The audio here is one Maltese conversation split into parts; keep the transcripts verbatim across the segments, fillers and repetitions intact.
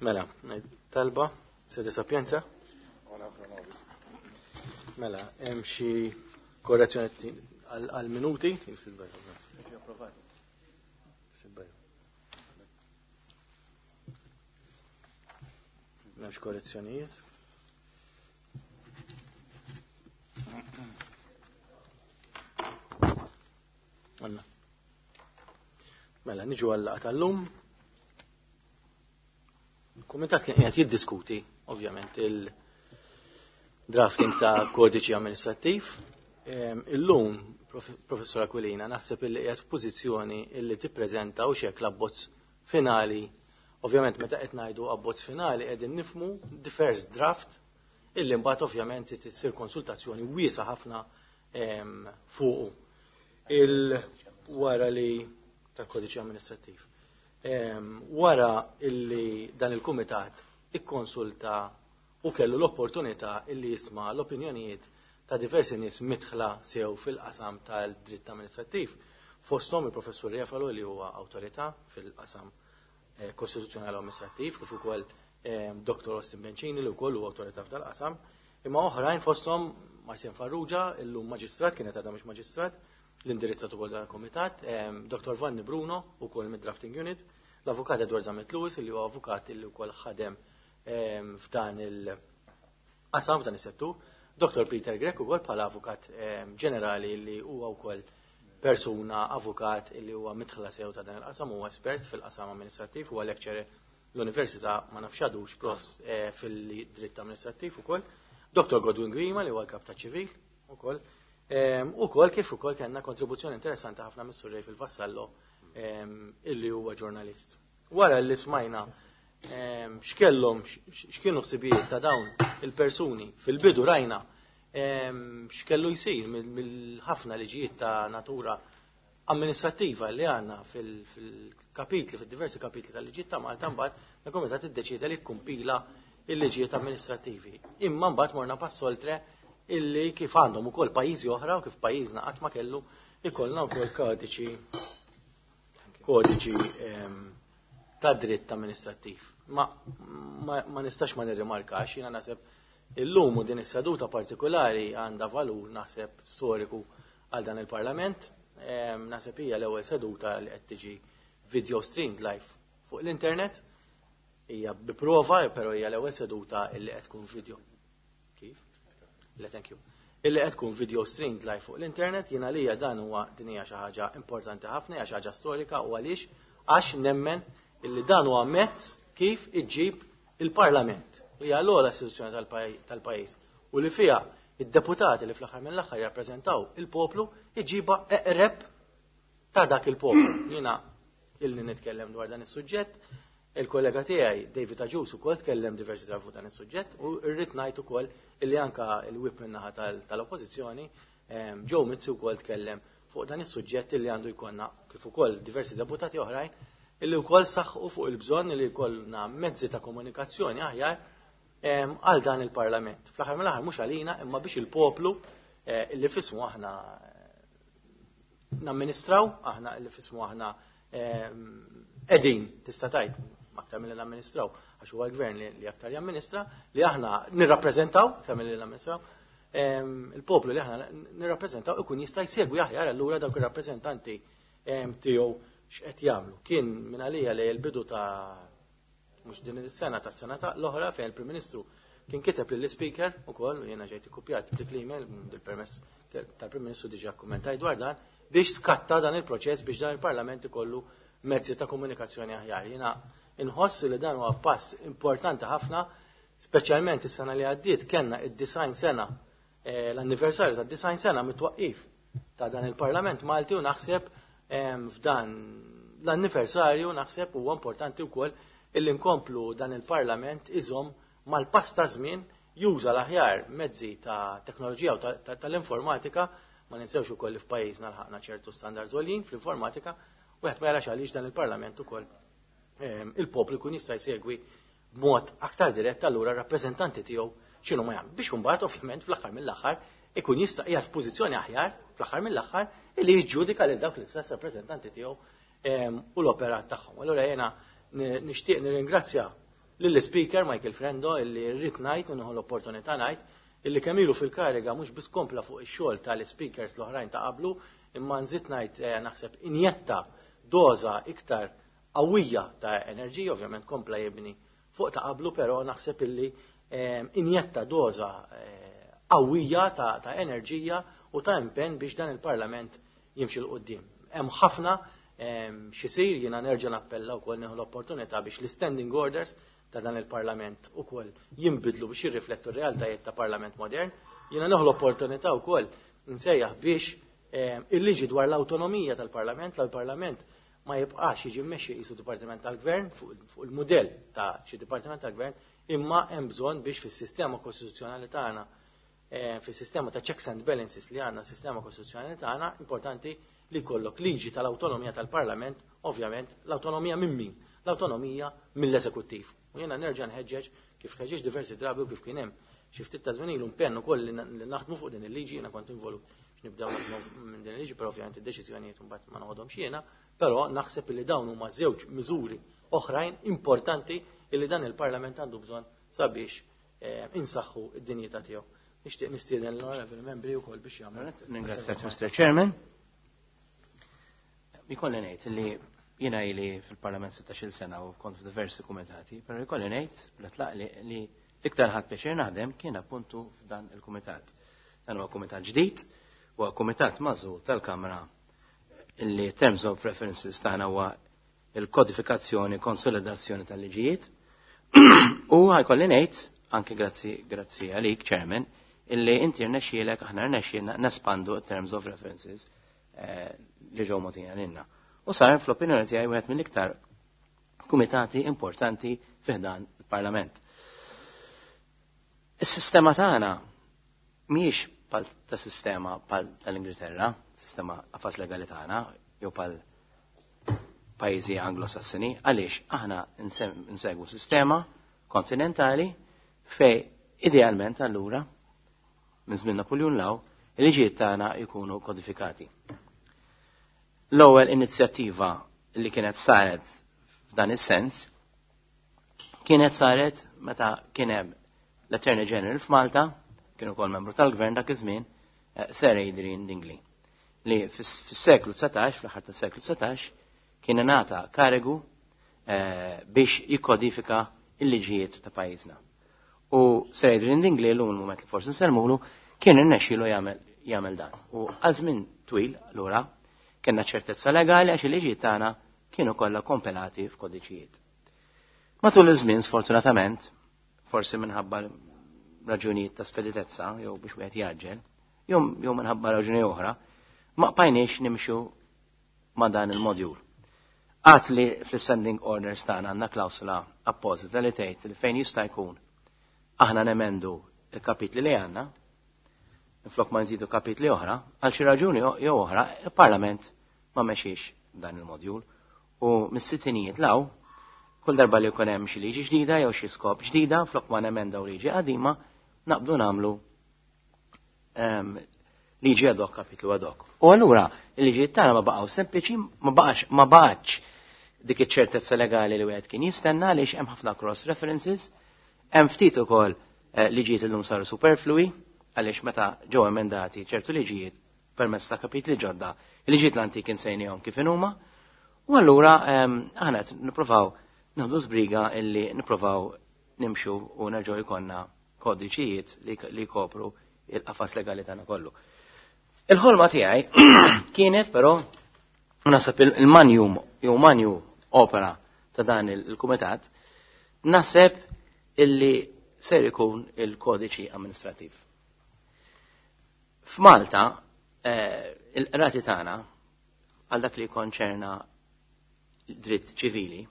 Mela, talba, sede sapienza. Mela, hemm xi korrezzjoni għal minuti? M'hemmx korrezzjonijiet. Għanna. Mela, niġu għal-laqgħa tal-lum. Il-Kumitat kien qiegħed jiddiskuti, ovvjament, il-drafting ta' kodiċi amministrattiv. Illum, Professor Aquilina, naħseb illi qiegħed f'pożizzjoni illi tippreżenta u xek l-abbozz finali. Ovvjament, meta qed ngħidu abbozz finali qegħdin nifmu the first draft illi mbagħad ovvjament tsir konsultazzjoni wiesa ħafna fuqu. Il wara li tal-kodiċi amministrattiv. Wara illi dan il-kumitat ikkonsulta u kellu l-opportunità illi jisma' l-opinjonijiet ta' diversi nies mitħla sew fil-qasam tal-dritt amministrattiv, fosthom il-professur Refalo li huwa awtorità fil-qasam kostituzzjonali amministrattiv, kif ukoll Dottor Austin Bencini li wkoll huwa awtorità f'dal-qasam, imma oħrajn fosthom Marcin Farrugia, illum maġistrat, kienet għadha mhux maġistrat, l-indirizzat ukoll dan il-kumitat, Dottor Vanni Bruno ukoll mid-Drafting Unit, l-avukat Edward Zammit Lewis li huwa avukat li wkoll ħadem f'dan il-qasam, f'dan is-settur, Dottor Peter Grech ukoll bħala avukat ġenerali li huwa wkoll persuna avukat li huwa mitħla sew ta' dan il-qasam, huwa espert fil-qasam amministrattiv, huwa lecturer l-università ma nafx għadux prof fil-dritt amministrattiv ukoll, Dottor Godwin Grima li huwa l-kap ta' ċivil ukoll, ukoll kif ukoll kellna kontribuzzjoni interessanti ħafna mis-Sur Ray fil-Vassallo illi huwa ġurnalist. Wara li smajna x'kellhom x'kienu ħsibijiet ta' dawn il-persuni fil-bidu rajna x'kellu jsir mill-ħafna liġijiet ta' natura amministrattiva li għandna fil-kapitli, fil-diversi kapitli tal-liġijiet ta' Malta, mbagħad il-Kumitat iddeċieda li kkumpila il-liġijiet amministrattivi. Imma mbagħad morna pass oltre illi kif għandhom ukoll pajjiżi oħra u kif pajjiżna qatt ma kellu ikollna wkoll kodiċi kodiċi ta' dritt amministrattiv. Ma, ma, ma nistax ma nirrimarkax, jiena naħseb illum u din is-seduta partikolari għandha valur naħseb storiku għal dan il-Parlament. Naħseb hija l-ewwel seduta li qed tiġi video streamed live fuq l-internet. Hija bi prova, però hija l-ewwel seduta li qed tkun video. Kif? Le, thank you. Illi qed tkun video streamed live fuq l-internet, jiena lija dan huwa din hija xi ħaġa importanti ħafna, hija xi ħaġa storika u għaliex għax nemmen illi dan huwa mezz kif iġġib il-Parlament li hija l-ogħla istituzzjoni tal-pajjiż u li fiha id-deputati li fl-aħħar mill-aħħar jirrappreżentaw il-poplu iġiba eqreb ta' dak il-poplu. Jiena illi nitkellem dwar dan is-suġġett, il-kollega tiegħi David Agius ukoll tkellem diversi drabi fuq dan is-suġġett u rrid ngħid ukoll illi anka l-whip min-naħa tal-oppożizzjoni Joe Mizzi wkoll tkellem fuq dan is-suġġett illi għandu jkollna kif ukoll diversi deputati oħrajn illi wkoll saħħu fuq il-bżonn li jkollna mezzi ta' komunikazzjoni aħjar għal dan il-Parlament. Fl-aħħar mill-aħħar mhux għalina imma biex il-poplu illi fismu aħna namministraw, aħna illi fismu aħna qegħdin tista' tgħid aktar milli namministraw, għax huwa l-gvern li aktar jamministra, li aħna nirrappreżentaw aktar milli namministraw, il-poplu li aħna nirrappreżentaw ikun jista' jsegwi aħjar allura dawk ir-rappreżentanti tiegħu x'qed jagħmlu. Kien minn għalija li l-bidu ta' mhux din is-sena tas-sena ta' l-oħra fejn il-Prim Ministru kien kiteb lill-Speaker ukoll u jiena ġejt ikkupjat b'dik l-email bil-permess tal-Prim Ministru diġà kkummentaj dwar dan biex skatta dan il-proċess biex dan il-Parlament ikollu mezzi ta' komunikazzjoni aħjar. Jiena inħoss li dan huwa pass importanti ħafna, speċjalment is-sena li għaddiet kellna id-design sena, l-anniversarju tad-design sena mit-twaqqif ta' dan il-Parlament Malti u naħseb f'dan l-anniversarju naħseb huwa importanti wkoll illi nkomplu dan il-Parlament iżomm mal-pass ta' żmien juża l-aħjar mezzi ta' teknoloġija u tal-informatika, ma ninsewx ukoll li f'pajjiżna lħaqna ċertu standards għoljin fl-informatika, u wieħed ma jarax għaliex dan il-Parlament ukoll il-poplu jkun jista' jsegwi b'mod aktar dirett allura r-rappreżentanti tiegħu x'inhu ma jagħmlu. Biex imbagħad ovvjament fl-aħħar mill-aħħar ikun jista' qiegħed f'pożizzjoni aħjar fl-aħħar mill-aħħar illi jiġġudika lil dawk l-istess rappreżentanti tiegħu u l-operat tagħhom. Allura jiena nixtieq nirringrazzja Lill-Speaker Michael Frendo, illi rrid ngħid u nieħu l-opportunità ngħid illi kemm ilu fil-kariga mhux biss kompla fuq ix-xogħol tal-speakers l-oħrajn ta' qablu, imma nżid ngħid eh, naħseb injetta doża iktar qawwija ta' enerġija, ovvjament kompla jibni fuq ta' qablu, però naħseb illi eh, injetta doża eh, qawwija ta', ta' enerġija u ta' impenn biex dan il-Parlament jimxi 'l quddiem. Hemm ħafna x'isir, jiena nerġa' nappella wkoll, nieħu l-opportunità biex l-standing orders ta' dan il-Parlament ukoll jinbidlu biex jirriflettu r-realtajiet ta' Parlament modern. Jiena nieħu l-opportunità wkoll nsejjaħ biex il-liġi dwar l-autonomija tal-Parlament, l-Parlament ma jibqax jiġi mmexxi qisu Dipartiment tal-Gvern, fuq il-mudell ta' xi Dipartiment tal-Gvern, imma hemm bżonn biex fis-sistema kostituzzjonali tagħna, fis-sistema ta' checks and balances li għandna, sistema kostituzzjonali tagħna, importanti li jkollok liġi tal-autonomija tal-Parlament, ovvjament l-autonomija minn min? L-autonomija mill-eżekuttiv. U jiena nerġa' nħeġġeġ, kif ħeġġeġ diversi drabi u kif kien hemm xi ftit ta' żmien ilu impenn ukoll li naħdmu fuq din il-liġi, jiena kont involut nibdew naħdmu minn din il-liġi, però ovvjament id-deċiżjonijiet imbagħad ma noħodhomx jiena, però naħseb li dawn huma żewġ miżuri oħrajn importanti li dan il-Parlament għandu bżonn sabiex insaħħu id-dinjità tiegħu. Nixtieq nistieden l-onorevoli membri wkoll biex jagħmlu. Ningrazzjak, Mister Chairman. Ikolli ngħid li jiena ili fil-Parlament sittax-il sena u kont f'diversi kumitati, però ikolli ngħid bla tlaq li l-iktar ħadt pjaċir naħdem kien appuntu f'dan il-kumitat. Dan huwa kumitat ġdid, huwa kumitat magħżul tal-Kamra illi terms of references tagħna huwa il-kodifikazzjoni, konsolidazzjoni tal-liġijiet. U ħa jkolli ngħid, anke grazzi grazzi għalik, Chairman, illi inti rnexxielek, aħna rnexxielna nespandu terms of references li ġew mogħtija lilna. U sar fl-opinjoni tiegħi wieħed mill-iktar kumitati importanti fi ħdan il-Parlament. Is-sistema tagħna mhijiex pal ta' sistema pal tal-Ingilterra, sistema qafas legali tagħna, jew pal pajjiżi Anglosassini, għaliex aħna nsegwu sistema kontinentali fej idealment allura minn żmien Napoleon 'l hawn il-liġijiet tagħna jkunu kodifikati. L-ewwel inizjattiva li kienet saret f'dan is-sens kienet saret meta kien hemm l-Attorney General f'Malta, kien ukoll membru tal-gvern dak iż-żmien, Sir Adrian Dingley, li fis-seklu dsatax, fl-aħħar tas-seklu dsatax, kien ingħata karigu biex jikkodifika il-liġijiet ta' pajjiżna. U Sir Adrian Dingley, llum il-mument li forsi nsellmulu, kien irnexxielu jagħmel jagħmel dan. U għal żmien twil allura kellna ċertezza legali għax il-liġijiet tagħna kienu kollha kompilati f'kodiċijiet. Matul iż-żmien, sfortunatament, forsi minħabba raġunijiet ta' speditezza jew biex wieħed jaġġel, jew jew minħabba raġuni oħra, ma bqajniex nimxu ma' dan il-modjul. Għad li fl-standing orders tagħna għandna klawsula appożita li tgħid li fejn jista' jkun aħna nemendu il-kapitli li għandna, minflok ma nżidu kapitli oħra, għal xi raġuni jew oħra, il-Parlament ma mexiex dan il-modjul. U mis-sittinijiet 'l hawn, kull darba li jkun hemm xi liġi ġdida jew xi skop ġdida, flok ma nemendaw liġi qadima, naqbdu nagħmlu liġi ad hoc, kapitlu ad hoc. U allura il-liġijiet tagħna ma baqgħu sempliċi, ma baqax ma baqgħx dik iċ-ċertezza legali li wieħed kien jistenna għaliex hemm ħafna cross references, hemm ftit ukoll liġijiet illum saru superflui għaliex meta ġew emendati ċertu liġijiet permezz ta' kapitli ġodda, il-liġijiet l-antiki nsejnihom kif inhuma. U allura aħna qed nippruvaw nieħdu żbriga illi nippruvaw nimxu u nerġgħu jkollna kodiċijiet li jkopru il-qafas legali tagħna kollu. Il-ħolma tiegħi kienet però naħseb il-magnum jew magnum opera ta' dan il-kumitat, naħseb illi ser ikun il-kodiċi amministrativ. F'Malta il-qrati tagħna għal dak li konċerna dritt ċivili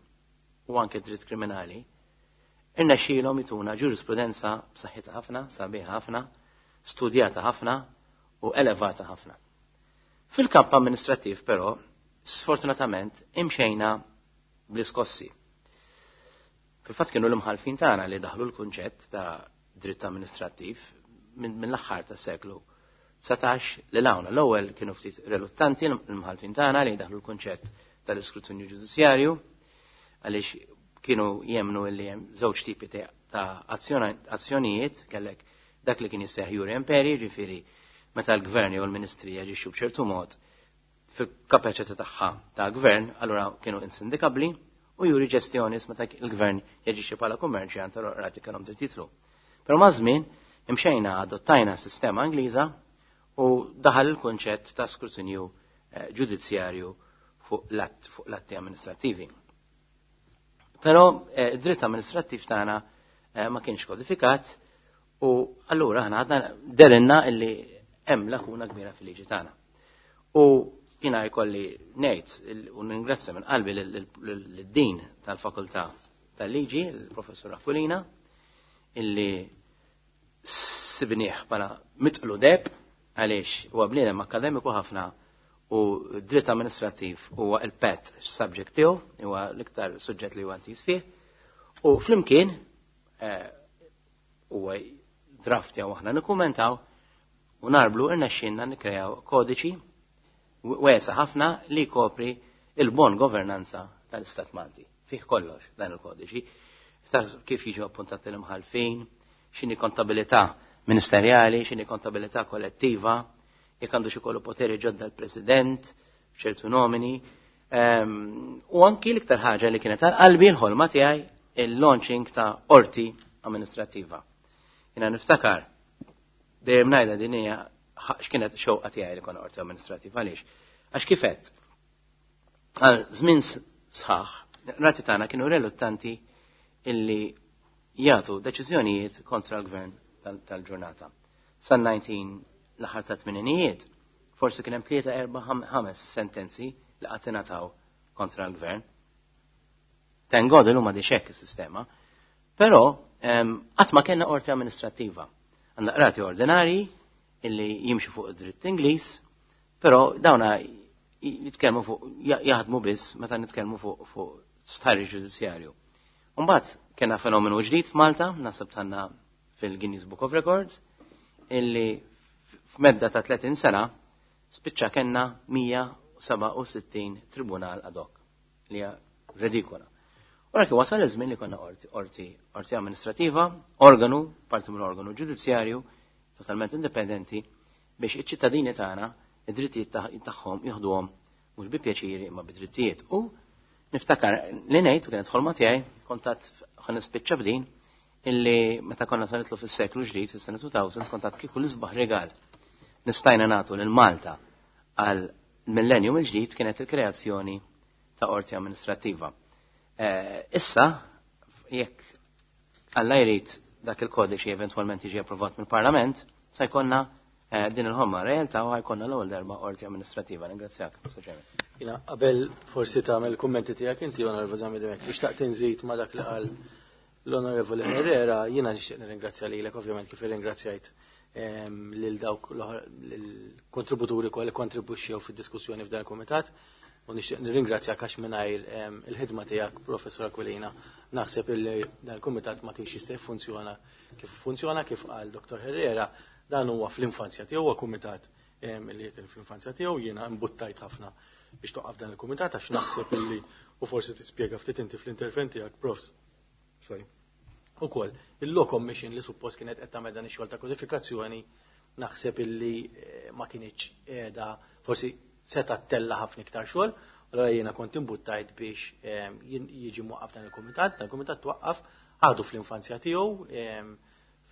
u anke dritt kriminali, irnexxielhom jtuna ġurisprudenza b'saħħitha ħafna, sabiħa ħafna, studjata ħafna u elevata ħafna. Fil-kamp amministrattiv però, sfortunatament, imxejna bl-iskossi. Fil-fatt kienu l-imħalfin tagħna li daħlu l-kunċett ta' dritt amministrattiv minn l-aħħar tas-seklu dsatax li lawna. L-ewwel kienu ftit reluttanti l-imħalfin tagħna li daħlu l-kunċett tal-iskrutinju ġudizzjarju għaliex Kienu jemnu li hemm żewġ tipi ta' azzjonijiet, kellek dak li kien jisseħ jure imperi, ġifieri meta l-gvern jew l-ministri jaġixxu b'ċertu mod fil-kapaċità tagħha ta' gvern, allura kienu insindikabbli, u iure gestionis meta l-gvern jaġixxi bħala kummerċjant, allura qrati kellhom dritt jidħlu. Però maż-żmien imxejna, adottajna sistema Ingliża u daħal il-kunċett ta' skrutinju eh, ġudizzjarju fuq l-atti amministrativi. Però eh, id-dritt amministrattiv tagħna eh, ma kienx kodifikat u allura aħna għadna derinna illi hemm lakuna kbira fil-liġi tagħna. U jiena jkolli ngħid u ningrazzja minn qalbi lid-dean tal-Fakultà tal-Liġi, il-Professur Aquilina, illi sibnieh bħala mitqlu deheb, għaliex huwa bniedem akademiku ħafna u dritt amministrattiv huwa il-pet subject tiegħu, huwa l-iktar suġġett li huwa intiż fih. U flimkien eh, huwa draft jew aħna nikkumentaw u narblu, irnexxinna nikkrejaw kodiċi wiesa' ħafna li kopri il-bon governanza tal-Istat Malti. Fih kollox dan il-kodiċi. Kif jiġu appuntati l-imħalfin, x'inhi kontabilità ministerjali, x'inhi kontabilità kollettiva, jekk għandu xi kollu poteri ġodda l-President, ċertu nomini. Ehm, u anki l-iktar ħaġa li kienet għal qalbi, l-ħolma tiegħi, il-launching ta' qorti amministrativa. Jiena niftakar, dejjem ngħidha din, hija x'kienet xewqa tiegħi li konna qorti amministrativa. Għaliex? Għax kifet, għal żmien sħaħ, qrati tagħna kienu reluttanti illi jagħtu deċiżjonijiet kontra l-gvern tal-ġurnata. San nineteen l-aħħar ta' tmeninijiet, forsi kien hemm tlieta, erba', ħames sentenzi li qatt ingħataw kontra l-gvern. Thank God illum m'għadhiex hekk is-sistema. Però qatt ma kellna qorti amministrattiva. Għandna qrati ordinari illi jimxu fuq id-dritt Ingliż, però dawna jitkellmu fuq, jaħdmu biss meta nitkellmu fuq fuq stħarriġ ġudizzjarju. Mbagħad kellna fenomenu ġdid f'Malta, naħseb tanna fil-Guinness Book of Records, illi f'medda ta' tletin sena spiċċa kellna mija u sebgħa u sittin tribunal ad hoc, li hija redikola. Ora kif wasal iż-żmien li konna qorti, qorti, qorti amministrativa, organu, parti mill organu ġudizzjarju, totalment indipendenti, biex iċ-ċittadini tagħna id-drittijiet tagħhom jieħduhom mhux bi pjaċiri imma bi drittijiet. U niftakar li ngħid, u kienet ħolma tiegħi, kontat ħa nispiċċa b'din, illi meta konna sa nidħlu fis-seklu ġdid, fis-sena elfejn, kontat kieku l-isbaħ rigal nistajna nagħtu lil Malta għal millennium il-ġdid kienet il-kreazzjoni ta' qorti amministrattiva. Eh, issa, jekk Alla jrid dak il-kodiċi eventualment jiġi approvat mill-Parlament, sa jkollna eh, din il-ħolma realtà u ħa jkollna l-ewwel darba qorti amministrativa. Ningrazzjak, Mister Chairman. Jiena, qabel forsi tagħmel kummenti tiegħek inti, Onorevoli Zammit Dimech, xtaqt inżid ma' dak li qal l-Onorevoli Herrera. Jiena nixtieq nirringrazzja lilek, ovvjament, kif irringrazzjajt lil dawk l-kontributuri kollha li kontribwixxew fid-diskussjoni f'dan il-kumitat. U nixtieq nirringrazzjak għax mingħajr il-ħidma tiegħek, Professor Aquilina, naħseb illi dan il-kumitat ma kienx jista' jiffunzjona kif funzjona. Kif qal Dottor Herrera, dan huwa fl-infanzja tiegħu, huwa kumitat li kien fl-infanzja tiegħu. Jiena imbuttajt ħafna biex toqgħod dan il-kumitat għax naħseb illi, u forsi tispjega ftit inti fl-intervent tiegħek, Profs. Sorry. Ukoll, il-Law Commission li suppost kienet qed tagħmel dan ix-xogħol ta' kodifikazzjoni, naħseb illi eh, ma kienx qiegħda, forsi seta' tella ħafna iktar xogħol, allora jiena kont imbuttajt biex eh, jiġi mwaqqaf dan il-kumitat. Dan il-kumitat twaqqaf, għadu fl-infanzja tiegħu, eh,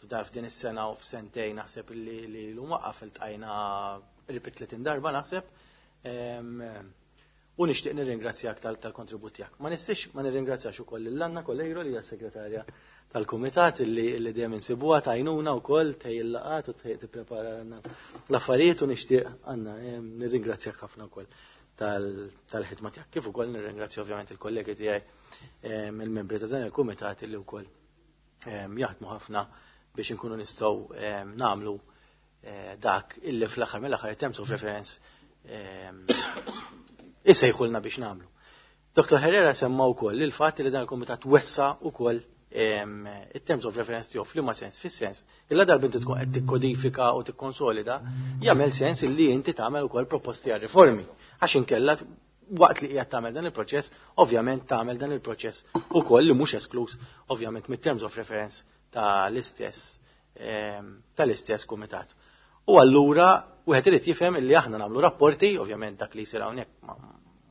f'dar f'din is-sena u f'sentejn naħseb li li l waqqaf iltqajna qrib tletin darba naħseb. U nixtieq nirringrazzjak tal-kontribut tiegħek. Ma nistax ma nirringrazzjax ukoll lil Anna Coleiro, li hija segretarja tal-kumitat, illi illi dejjem insibuha tajnuna wkoll tgħid il-laqat u tipprepara l-affarijiet, u nixtieq, Anna, nirringrazzjak ħafna wkoll tal-ħidma tiegħek. Kif ukoll nirringrazzja ovvjament il-kollegi tiegħi, il-membri ta' dan il-kumitat, illi wkoll jaħdmu ħafna biex inkunu nistgħu nagħmlu eh, dak illi fl-aħħar mill-aħħar terms of reference isejħulna biex nagħmlu. Dottor Herrera semma wkoll il-fatt li dan il-kumitat wessa wkoll it-terms of reference tiegħu. F'liema sens? Fis-sens illa darba inti tkun qed tikkodifika u tikkonsolida, jagħmel sens illi inti tagħmel ukoll proposti għal riformi. Għax inkella Waqt li qiegħed tagħmel dan il-proċess, ovvjament tagħmel dan il-proċess ukoll li mhux esklus ovvjament mit-terms of reference tal-istess ehm, tal-istess kumitat. U allura wieħed irid jifhem illi aħna nagħmlu rapporti, ovvjament dak li jsir hawnhekk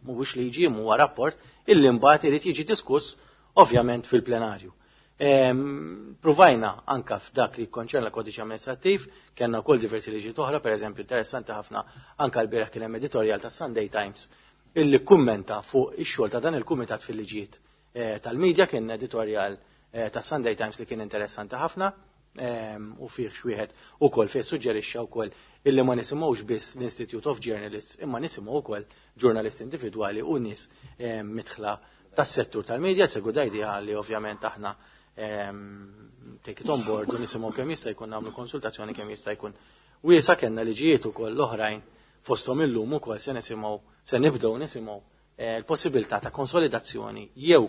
mhuwiex liġi, huwa rapport, illi mbagħad irid jiġi diskuss ovvjament fil-plenarju. Ehm, provajna anka f'dak li konċerna l-kodiċi amministrattiv, kellna wkoll diversi liġi oħra, per eżempju interessanti ħafna anka l-bieraħ kien hemm editorial ta' Sunday Times illi kummenta fuq ix-xogħol ta' dan il-kumitat fil-liġijiet eh, tal-medja. Kien editorial eh, ta' Sunday Times li kien interessanti ħafna ehm, u fih xwieħed ukoll fih suġġerixxa wkoll illi ma nisimgħux biss l-Institute of Journalists imma nisimgħu wkoll ġurnalisti individwali u nies ehm, midħla tas-settur tal-medja. It's a good idea li ovvjament aħna ehm, take it on board u nisimgħu kemm jista' jkun, nagħmlu konsultazzjoni kemm jista' jkun wiesa. Kellna liġijiet ukoll l-oħrajn, fosthom illum ukoll se nisimgħu, se nibdew nisimgħu eh, l-possibilità ta' konsolidazzjoni jew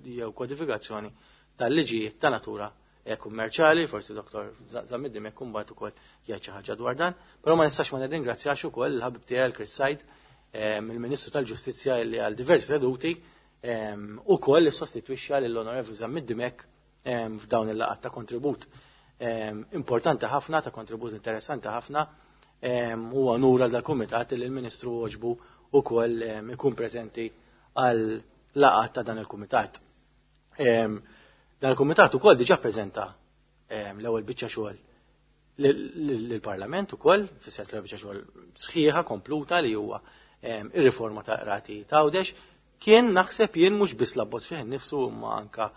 jew kodifikazzjoni tal-liġijiet ta' natura eh, kummerċali, forsi Doktor Zammit Dimech mbagħad ukoll jgħid xi ħaġa dwar dan, però ma nistax ma nirringrazzjax ukoll il-ħabib tiegħi Chris Said, eh, il-Ministru tal-Ġustizzja, li għal diversi seduti ukoll sostitwixxa lill-Onorevoli Zammit Dimech f'dawn il-laqgħat, ta' kontribut importanti ħafna, ta' kontribut interessanti ħafna. Huwa unur għal dal-kumitat li l-Ministru għoġbu ukoll ikun preżenti għal laqgħat ta' dan il-kumitat. Dan il-kumitat ukoll diġà preżenta l-ewwel biċċa xogħol lill-Parlament ukoll, fis-sens l-ewwel biċċa xogħol sħiħa kompluta li huwa ir-riforma ta' qrati ta' Għawdex. Kien naħseb jien mhux biss l-abbozz fih innifsu imma anka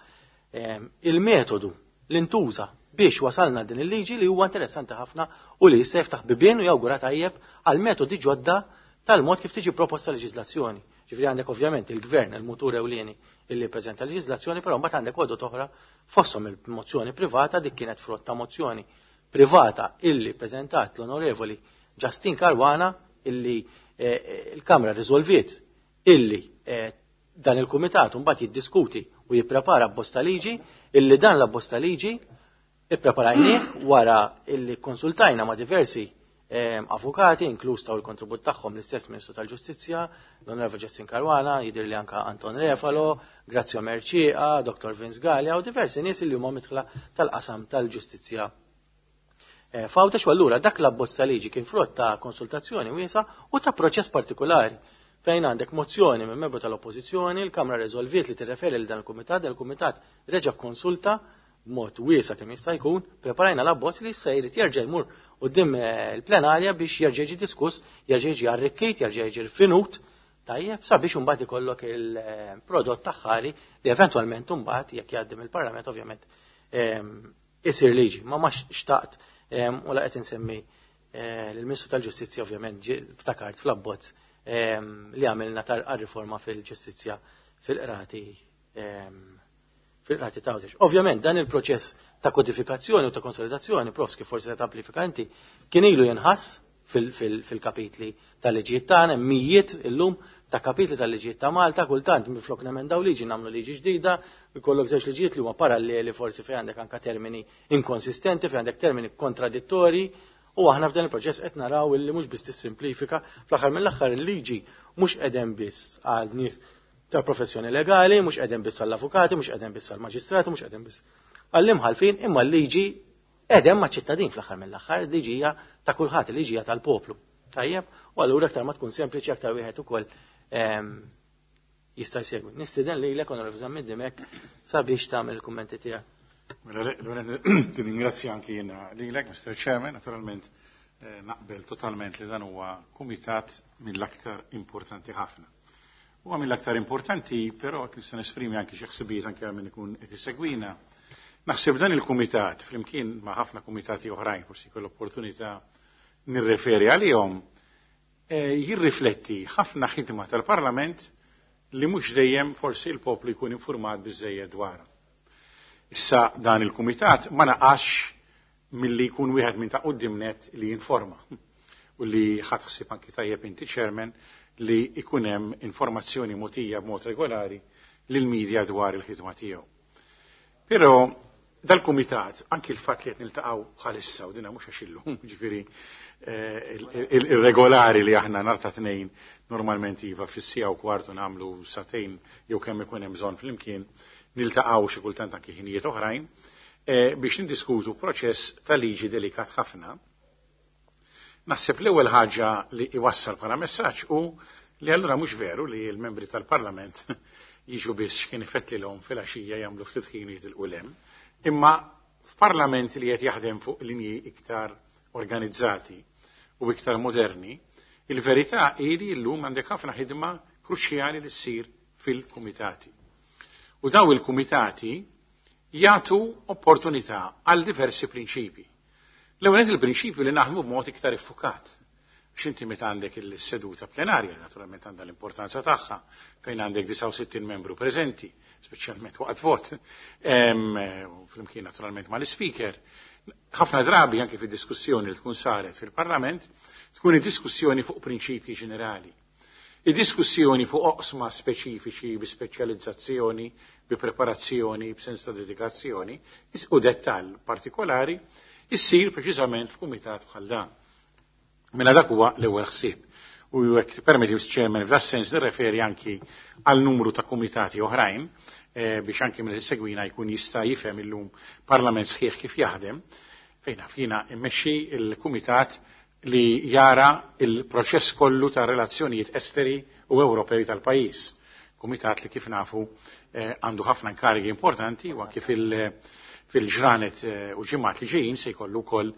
il-metodu li ntuża biex wasalna din il-liġi, li huwa interessanti ħafna u li jista' jiftaħ bibien u jawgura tajjeb għal metodi ġodda tal-mod kif tiġi proposta leġiżlazzjoni. Ġifieri għandek ovvjament il-gvern, il-mutur ewlieni illi preżenta leġiżlazzjoni, però mbagħad għandek għodod oħra, fosthom il-mozzjoni privata. Dik kienet frott ta' mozzjoni privata illi preżentat l-Onorevoli Justin Caruana, illi eh, il-Kamra riżolviet illi eh, dan il-kumitat mbagħad jiddiskuti u jipprepara bosta liġi, illi dan la bosta liġi ippreparajnieh wara illi konsultajna ma' diversi eh, avukati, inkluż taw il-kontribut tagħhom l-istess Ministru tal-Ġustizzja, l-Onorevoli Justin Caruana, jidher li anka Anton Refalo, Grazio Mercieca, Doktor Vince Galea u diversi nies li huma midħla tal-qasam tal-ġustizzja Eh, F'Għawdex. U allura dak l-abbozz ta' liġi kien frott ta' konsultazzjoni wiesa u ta' proċess partikolari fejn għandek mozzjoni minn membru tal-Oppożizzjoni, il-Kamra reżolviet li tirreferi lil dan il-kumitat, dan il-kumitat reġa' konsulta b'mod wiesa kemm jista' jkun, preparajna l-abbozz li issa jrid jerġa' jmur quddiem eh, il-plenarja biex jerġa' jiġi diskuss, jerġa' jiġi arrikkit, jerġa' jiġi rfinut, tajjeb, sabiex imbagħad ikollok il-prodott aħħari li eventwalment imbagħad, jekk jgħaddi mill-Parlament, ovvjament ehm, isir liġi. Ma ma xtaqt ehm, u la qed insemmi eh, l-Ministru tal-Ġustizzja, ovvjament ftakart fl-abbozz ehm, li għamilna tar-riforma fil-ġustizzja fil-qrati fil-qrati ta'. Ovvjament dan il-proċess ta' kodifikazzjoni u ta' konsolidazzjoni, profs, kif forsi ta' amplifikanti, kien ilu jinħass fil-kapitli tal-liġijiet tagħna, mijiet illum ta' kapitli tal-liġijiet ta' Malta, kultant minflok nemendaw liġi nagħmlu liġi ġdida, ikollok żewġ liġijiet li huma paralleli, forsi fejn għandek anka termini inkonsistenti, fejn għandek termini kontradittori, u aħna f'dan il-proċess qed naraw illi mhux biss tissimplifika, fl-aħħar mill-aħħar il-liġi mhux qegħdem biss għal nies ta' professjoni legali, mhux qegħdem biss għall-avukati, mhux qegħdem biss għall-maġistrati, mhux qegħdem biss għall-imħalfin, imma l-liġi qegħdem ma' ċittadin fl-aħħar mill-aħħar, il-liġi hija ta' kulħadd, il-liġi hija tal-poplu. Tajjeb, u allura aktar ma tkun sempliċi, aktar wieħed ukoll ehm, jista' jsegwi. Nistieden lilek, Onorevoli Zammit Dimech, sabiex tagħmel il-kummenti tiegħek. Mela, ringrazzja anki jiena lilek, Mister Chairman, naturalment eh, naqbel totalment li dan huwa kumitat mill-aktar importanti ħafna. Huwa mill-aktar importanti, però nista' nesprimi anki xi ħsibijiet anke għal min ikun qed isegwina. Naħseb dan il-kumitat, flimkien ma' ħafna kumitati oħrajn, forsi kull opportunità nirreferi għalihom, eh, jirrifletti ħafna ħidma tal-Parlament li mhux dejjem forsi il-poplu jkun informat biżejjed dwarha. Issa dan il-kumitat ma naqax milli jkun wieħed minn ta' quddiem net li jinforma u li ħadt ħsieb anki tajjeb inti, Chairman, li ikun hemm informazzjoni mogħtija b'mod regolari lil media dwar il-ħidma tiegħu. Però Dal-kumitat, anki l-fatt li qed niltaqgħu bħalissa u dina mhux għax illum, ġifieri il-regolari li aħna nhar ta' tnejn normalment iva fis-siegħa u kwartu nagħmlu sagħtejn jew kemm ikun hemm bżonn flimkien niltaqgħu xi kultant anki ħinijiet oħrajn biex nindiskutu proċess ta' liġi delikat ħafna. Naħseb l-ewwel ħaġa li iwassal bħala messaġġ hu li allura mhux veru li l-membri tal-Parlament jiġu biss x'kien ifettlilhom fil-għaxija jagħmlu ftit ħin jitilqu 'l hemm. Imma f'parlament li qed jaħdem fuq linji iktar organizzati u iktar moderni, il-verità hi li llum għandek ħafna ħidma kruċjali li ssir fil-kumitati. U daw il-kumitati jagħtu opportunità għal diversi prinċipi. L-ewwel il-prinċipju li naħdmu b'mod iktar iffukat. X'inti meta għandek il-seduta plenarja, naturalment għandha l-importanza tagħha, fejn għandek disgħa u sittin membru preżenti, speċjalment waqt vot, flimkien naturalment mal-speaker. Ħafna drabi anke fid-diskussjoni li tkun saret fil-Parlament, tkun id-diskussjoni fuq prinċipji ġenerali. Id-diskussjoni fuq oqsma speċifiċi bi speċjalizzazzjoni, bi preparazzjoni, b'sens ta' dedikazzjoni, u dettall partikolari, issir preċiżament f'kumitat bħal dan. Mela dak huwa l-ewwel ħsieb. U jekk permetti Chairman f'da sens nirreferi anki għal numru ta' kumitati oħrajn biex anki minn segwina jkun jista' jifhem illum parlament sħiħ kif jaħdem, fejn fina immexxi il-kumitat li jara il-proċess kollu ta' relazzjonijiet esteri u Ewropej tal-pajjiż. Kumitat li kif nafu għandu ħafna inkarigi importanti u anki fil- fil-ġranet u ġimgħat li ġejjin se jkollu wkoll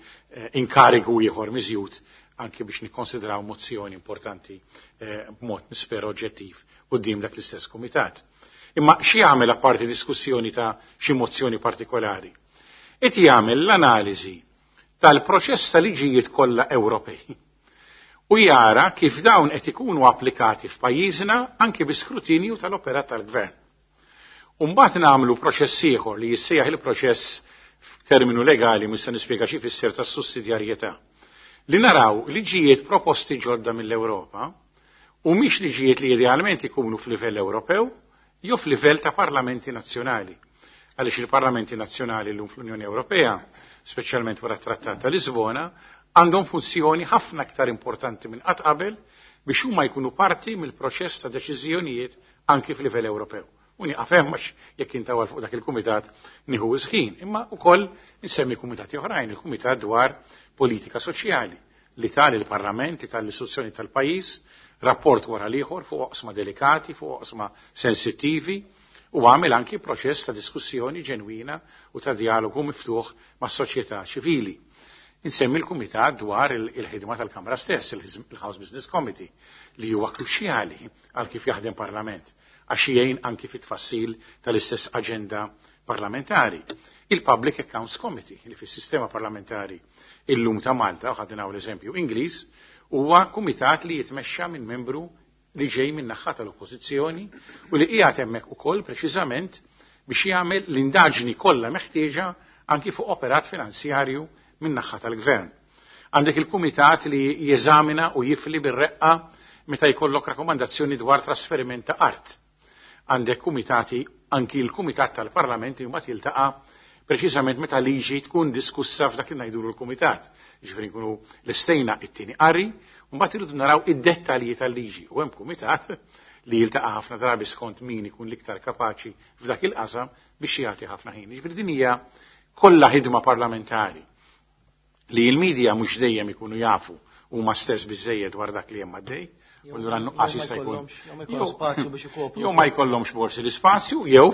inkarigu ieħor miżjud anki biex nikkonsidraw mozzjoni importanti b'mod nispera oġġettiv quddiem dak l-istess kumitat. Imma xi jagħmel apparti diskussjoni ta' xi mozzjoni partikolari? Qed jagħmel l-analiżi tal-proċess ta' liġijiet kollha Ewropej u jara kif dawn qed ikunu applikati f'pajjiżna anki bi skrutinju tal-operat tal-gvern. U mbagħad nagħmlu proċess ieħor li jissejjaħ il-proċess f'terminu legali mhux se nispjega xi jfisser tas-sussidjarjetà. Li naraw liġijiet proposti ġodda mill-Ewropa u mhix liġijiet li idealment ikunu f'livell Ewropew jew f'livell ta' parlamenti nazzjonali. Għaliex il-parlamenti nazzjonali llum fl-Unjoni Ewropea, speċjalment wara t-Trattat ta' Lisbona, għandhom funzjoni ħafna aktar importanti minn qatt qabel biex huma jkunu parti mill-proċess ta' deċiżjonijiet anki f'livell Ewropew. U nieqaf hemm għax jekk intawal fuq dak il-kumitat nieħu ħin, imma wkoll insemmi kumitati oħrajn, il-kumitat dwar politika soċjali li tal il-Parlament, li tal-istituzzjoni tal-pajjiż, rapport wara l-ieħor fuq oqsma delikati, fuq oqsma sensittivi, u għamel anki proċess ta' diskussjoni ġenwina u ta' dialogu miftuħ mas soċjetà ċivili. Insemmi l-Kumitat dwar il-ħidma tal-Kamra stess, il-House Business Committee, li huwa kruċjali għal kif jaħdem Parlament, għax jgħin anki fit-tfassil tal-istess aġenda parlamentari. Il-Public Accounts Committee, li fis-sistema parlamentari illum ta' Malta, u ħadna l-eżempju Ingliż, huwa kumitat li jitmexxa minn membru li ġej minn naħa tal-oppożizzjoni u li qiegħed hemmhekk ukoll preċiżament biex jagħmel l-indaġni kollha meħtieġa anki fuq operat finanzjarju minn naħa tal-gvern. Għandek il-kumitat li jeżamina u jifli bir-reqqa meta jkollok rakkomandazzjoni dwar trasferiment ta' art. Għandek kumitati, anki l-kumitat tal-Parlament mbagħad jiltaqa' preċiżament meta liġi tkun diskussa f'dak li ngħidulu l-kumitat. Jiġifieri nkunu lestejna it-tieni qari u mbagħad irridu naraw id-dettalji tal-liġi. U hemm kumitat li jiltaqa' ħafna drabi skont min ikun l-iktar kapaċi f'dak il-qasam biex jagħti ħafna ħin. Jiġifieri din hija kollha ħidma parlamentari li l-medja mhux dejjem ikunu jafu huma stess biżejjed dwar dak li hemm għaddej. U allura nuqqas jista' jkun. Jew ma jkollhomx forsi l-ispazju, jew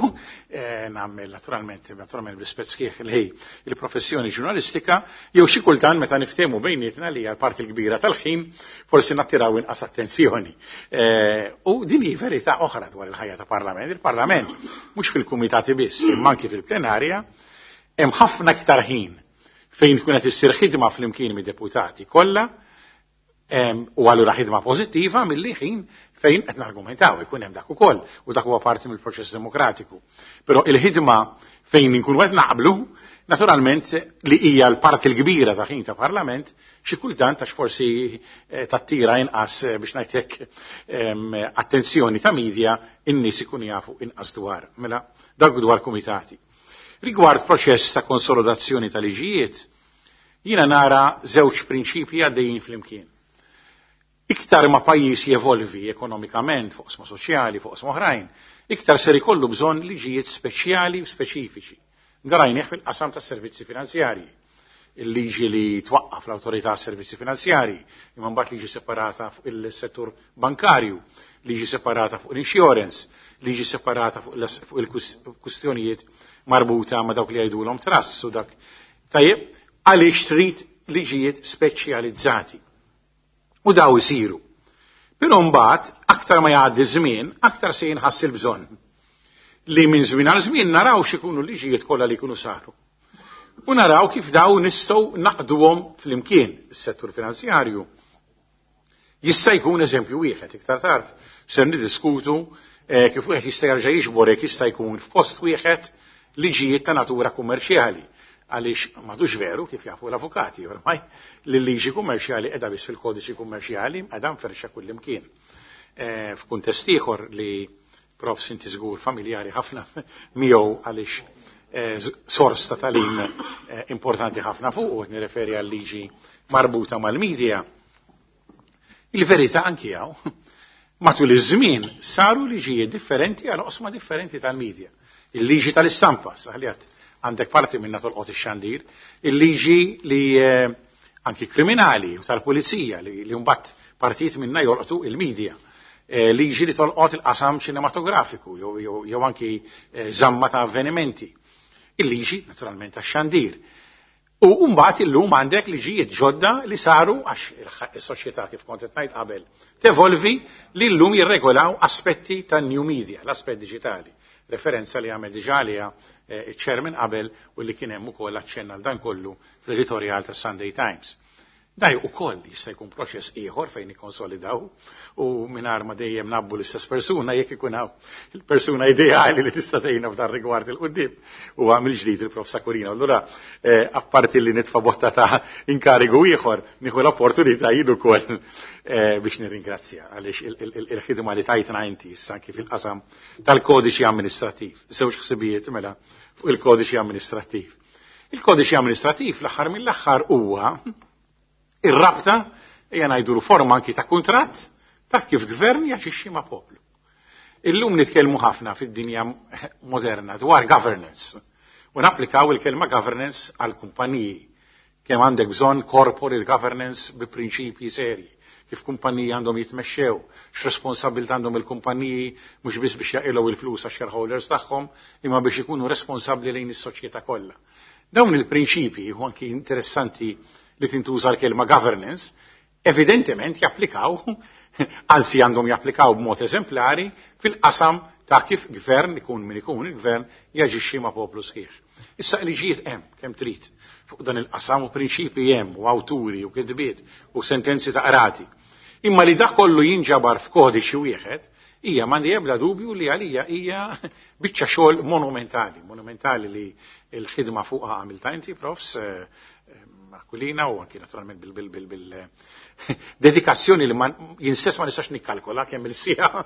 nagħmel naturalment, naturalment b'rispett sħiħ li il-professjoni ġurnalistika, jew xi kultant meta niftehmu bejnietna li hija l-parti l-kbira tal-ħin forsi nattiraw inqas attenzjoni. U din hi verità oħra dwar il-ħajja ta' Parlament. Il-Parlament mhux fil-kumitati biss, imma anki fil-plenarja, hemm ħafna iktar ħin fejn tkun qed issir ħidma flimkien mid-deputati kollha, u allura ħidma pożittiva milli ħin fejn qed nargumentaw, ikun hemm dak ukoll, u dak huwa parti mill-proċess demokratiku. Però il-ħidma fejn inkunu qed naqblu, naturalment li hija l-parti l-kbira ta' ħin ta' Parlament, xi kultant għax forsi tattira inqas biex ngħid hekk attenzjoni ta' media, in-nies ikunu jafu inqas dwar. Mela dak dwar kumitati. Rigward proċess ta' konsolidazzjoni tal-liġijiet, jiena nara żewġ prinċipji għaddejjin flimkien. Iktar ma pajjiż jevolvi ekonomikament fuq oqsma soċjali, fuq oqsma oħrajn, iktar ser ikollu bżonn liġijiet speċjali u speċifiċi. Darajnih fil-qasam tas servizzi finanzjarji. Il-liġi li twaqqaf l-Awtorità Servizzi Finanzjarji, imma mbagħad liġi separata fuq il-settur bankarju, liġi separata fuq l-insurance, liġi separata fuq il-kustjonijiet marbuta ma' dawk li jgħidulhom trusts u dak. Tajjeb, għaliex trid liġijiet speċjalizzati. U daw isiru. Però mbagħad aktar ma jgħaddi żmien, aktar se jinħass il-bżonn li minn żmien għal żmien naraw x'ikunu liġijiet kollha li jkunu saru. U naraw kif daw nistgħu naqduhom flimkien is-settur finanzjarju. Jista' jkun eżempju wieħed iktar tard ser niddiskutu eh, kif wieħed jista' jerġa' jiġbor jekk jista' jkun f'post wieħed liġijiet ta' natura kummerċjali. Għaliex m'għadux veru kif jafu l-avukati ormai li l-liġi kummerċjali qiegħda biss fil-kodiċi kummerċjali qiegħda mferxa kullimkien. Eh, f'kuntest ieħor li prof sinti żgur familjari ħafna miegħu għaliex eh, sors ta' talim eh, importanti ħafna fuq, u nirreferi għal liġi marbuta mal-medja. Il-verità anki hawn, matul iż-żmien saru liġijiet differenti għal oqsma differenti tal-medja. Il-liġi tal-istampa, saħliat għandek parti minna tolqot ix-xandir, il-liġi li eh, anki kriminali u tal-pulizija li, li mbagħad partijiet minna jolqtu il-medja. Eh, liġi li tolqot il-qasam ċinematografiku jew, jew, jew anki eh, żamma ta' avvenimenti. Il-liġi naturalment tax-xandir. U mbagħad illum għandek liġijiet ġodda li saru għax is-soċjetà kif kont qed ngħid qabel tevolvi li llum jirregolaw aspetti tan new media, l-aspett diġitali. Referenza li għamel diġà għaliha iċ-chairman qabel u li kien hemm ukoll aċċenna għal dan kollu fl-editorial tas Sunday Times. Daj ukoll jista' jkun proċess ieħor fejn nikkonsolidaw u mingħajr ma dejjem nabbu l-istess persuna jekk ikun hawn il-persuna ideali li tista' tgħinna f'dan rigward il-qudiem u għamil ġdid il-Prof Aquilina. Allura eh, apparti li nitfa' botta ta' inkarigu ieħor nieħu l-opportunità jien ukoll eh, biex nirringrazzja għaliex il-ħidma li tajtna inti issa anki fil-qasam tal-kodiċi amministrattiv. Żewġ ħsibijiet mela fuq il-kodiċi amministrattiv. Il-kodiċi amministrattiv l-aħħar mill-aħħar huwa ir-rabta hija ngħidu forma anki ta' kuntratt ta' kif gvern jaġixxi ma' poplu. Illum nitkellmu ħafna fid-dinja moderna dwar governance u napplikaw il-kelma governance għal kumpaniji. Kemm għandek bżonn corporate governance bi prinċipji serji, kif kumpaniji għandhom jitmexxew, x'responsabilità għandhom il-kumpaniji mhux biss biex jaqilgħu il-flus għax-shareholders tagħhom, imma biex ikunu responsabbli lejn is-soċjetà kollha. Dawn il-prinċipji u anki interessanti li tintuża l-kelma governance, evidentement japplikaw, anzi għandhom japplikaw b'mod eżemplari fil-qasam ta' kif gvern ikun min ikun il-gvern jaġixxi ma' poplu sħiħ. Issa liġijiet hemm kemm trid fuq dan il-qasam u prinċipji hemm u awturi u kitbiet u sentenzi ta' qrati. Imma li dak kollu jinġabar f'kodiċi wieħed hija m'għandi ebda dubju li għalija hija biċċa xogħol monumentali, monumentali li l-ħidma fuqha għamilta inti, profs, eh, Aquilina u anki naturalment bil bil bil bil dedikazzjoni li jien stess ma nistax nikkalkola kemm il-siegħa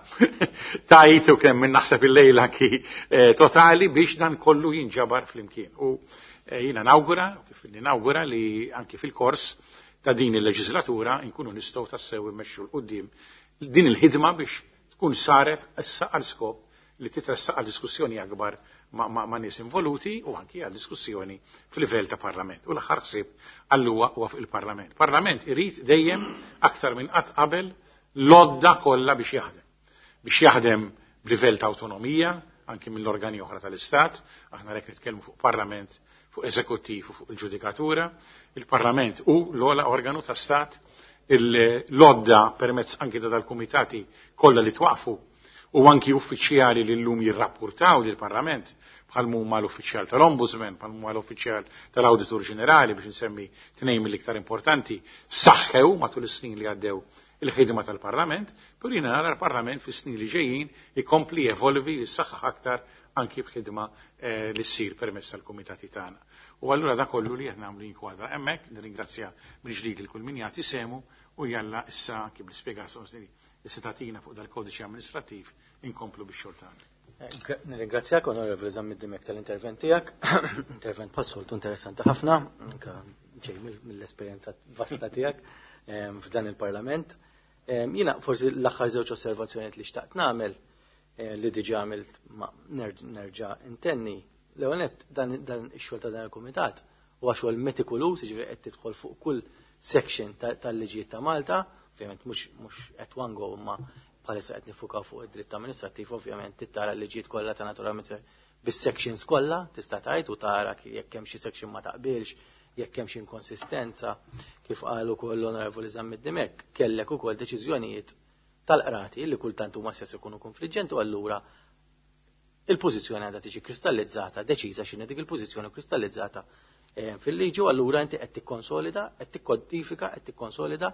tajt u kemm minn naħseb il-lejl anki eh, totali biex dan kollu jinġabar flimkien. U eh, jiena nawgura, kif nawgura li anki fil-kors ta' din il-leġislatura nkunu nistgħu tassew immexxu 'l quddiem din il-ħidma biex tkun saret issa għal skop li titressaq għal diskussjoni akbar ma', ma, ma nies involuti u anki għal diskussjoni fil-livell ta' parlament. U l-aħħar ħsieb għalluwa huwa fuq il-parlament. Parlament irid dejjem aktar minn qatt qabel l-għodda kollha biex jaħdem. Biex jaħdem b'livell ta' autonomija, anki mill-organi oħra tal-Istat, aħna rek nitkellmu fuq parlament, fuq eżekuttiv u fuq il-ġudikatura. Il-parlament hu l-ogħla organu ta' Stat, l-għodda permezz anki ta' dal-kumitati kollha li twaqfu u anki uffiċjali li llum jirrapportaw lill-Parlament bħal huma l-uffiċjal tal-Ombudsman, bħal huma l-uffiċjal tal-Awditur Ġenerali biex nsemmi tnejn mill-iktar importanti, saħħew matul is-snin li għaddew il-ħidma tal-Parlament, però jiena nara l-Parlament fis-snin li ġejjin ikompli jevolvi jissaħħaħ aktar anki b'ħidma eh, li ssir permezz tal-kumitati tagħna. U allura da kollu li qed nagħmlu jinkwadra hemmhekk, nirringrazzja mill-ġdid lil kull min jagħti sehmu u jalla issa anki bl-ispjegazzjoni li se tagħtina fuq dal-kodiċi amministrattiv inkomplu bix-xogħol tagħna. Nirringrazzjak, Onorevoli Zammit Dimech, tal-intervent tiegħek. Intervent bħas-soltu interessanti ħafna, anka ġej mill-esperjenza vasta tiegħek f'dan il-Parlament. Jiena forsi l-aħħar żewġ osservazzjonijiet li xtaqt nagħmel, li diġà għamilt ma nerġa' intenni. L-ewwel nett, dan ix-xogħol ta' dan il-kumitat huwa xogħol metikoluż, jiġifieri qed tidħol fuq kull section tal-liġijiet ta' Malta, ovvjament mhux at one go, imma bħalissa qed nifukaw fuq id-dritt amministrattiv, ovvjament tara l-liġijiet kollha ta' naturalment bis-sections kollha, tista' tgħid u tara jekk hemm xi section ma taqbilx, jekk hemm xi inkonsistenza, kif qal ukoll l-Onorevoli Zammit Dimech, kellek ukoll deċiżjonijiet tal-qrati li kultant huma stess ikunu konfliġġenti, u allura il-pożizzjoni għandha tiġi kristallizzata, deċiża x'inhi dik il-pożizzjoni kristallizzata fil-liġi, u allura inti qed tikkonsolida, qed tikkodifika, qed tikkonsolida,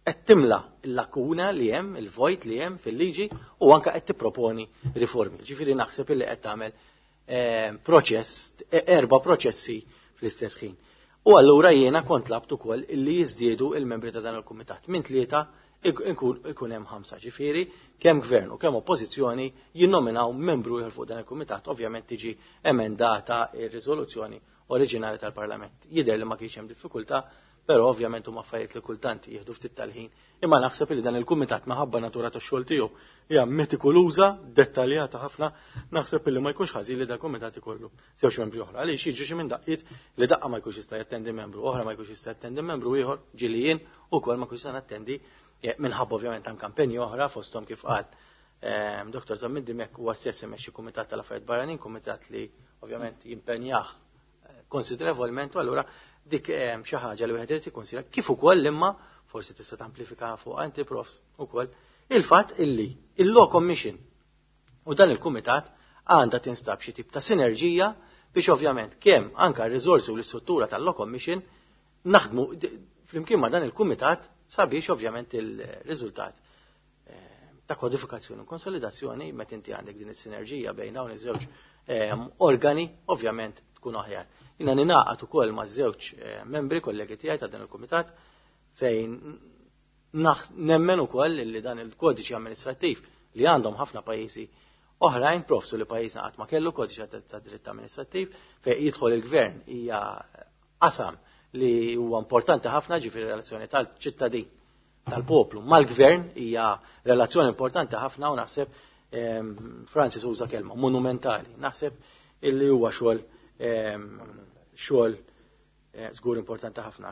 qed timla l-lakuna li hemm, il-vojt li hemm fil-liġi, u anke qed tipproponi riformi. Ġifieri naħseb illi qed tagħmel proċess, erba' proċessi fl-istess ħin. U allura jiena kont tlabt ukoll illi jiżdiedu il-membri ta' dan il-kumitat. Minn tlieta ikun hemm ħamsa, ġifieri kemm gvern u kemm oppożizzjoni jinnominaw membru ieħor fuq dan il-kumitat, ovvjament tiġi emendata ir-riżoluzzjoni oriġinali tal-Parlament. Jidher li ma kienx hemm diffikultà, però ovvjament huma affarijiet li kultant jieħdu ftit tal-ħin. Imma naħseb li dan il-kumitat minħabba natura tax-xogħol tiegħu hija metikoluża, dettaljata ħafna, naħseb li ma jkunx ħażin li dal-kumitat ikollu żewġ membri oħra. Għaliex jiġu xi minn daqqiet li daqqa ma jkunx jista' jattendi membru oħra, ma jkunx jista' jattendi membru ieħor, ġieli jien ukoll ma jkunx jista' nattendi minħabba ovvjament anke kampanji oħra fosthom kif qal Doktor Zammit Dimech, huwa stess imexxi kumitat tal-affarijiet barranin, kumitat li ovvjament jimpenjah konsiderevolment, u allura dik xi ħaġa li wieħed irid ikkonsidra, kif ukoll imma forsi tista' tamplifika fuq anti profs ukoll il-fatt illi il-Law Commission u dan il-kumitat għandha tinstab xi tip ta' sinerġija biex ovvjament kemm anke r-riżorsi u l-istruttura tal-Law Commission naħdmu flimkien ma' dan il-kumitat sabiex ovvjament il-riżultat ta' kodifikazzjoni u konsolidazzjoni, meta inti għandek din is-sinerġija bejn dawn iż-żewġ organi, ovvjament tkun aħjar. Jiena ninaqat ukoll ma' żewġ membri kollegi tiegħi ta' dan il-kumitat fejn nemmen ukoll li dan il-kodiċi amministrattiv li għandhom ħafna pajjiżi oħrajn, profsu li pajjiżna qatt ma kellu kodiċi ta' dritt amministrattiv, fejn jidħol il-gvern hija qasam li huwa importanti ħafna, ġifieri relazzjoni tal-ċittadin tal-poplu mal-gvern hija relazzjoni importanti ħafna, u naħseb Francis uża kelma monumentali, naħseb illi huwa xogħol xogħol żgur importanti ħafna.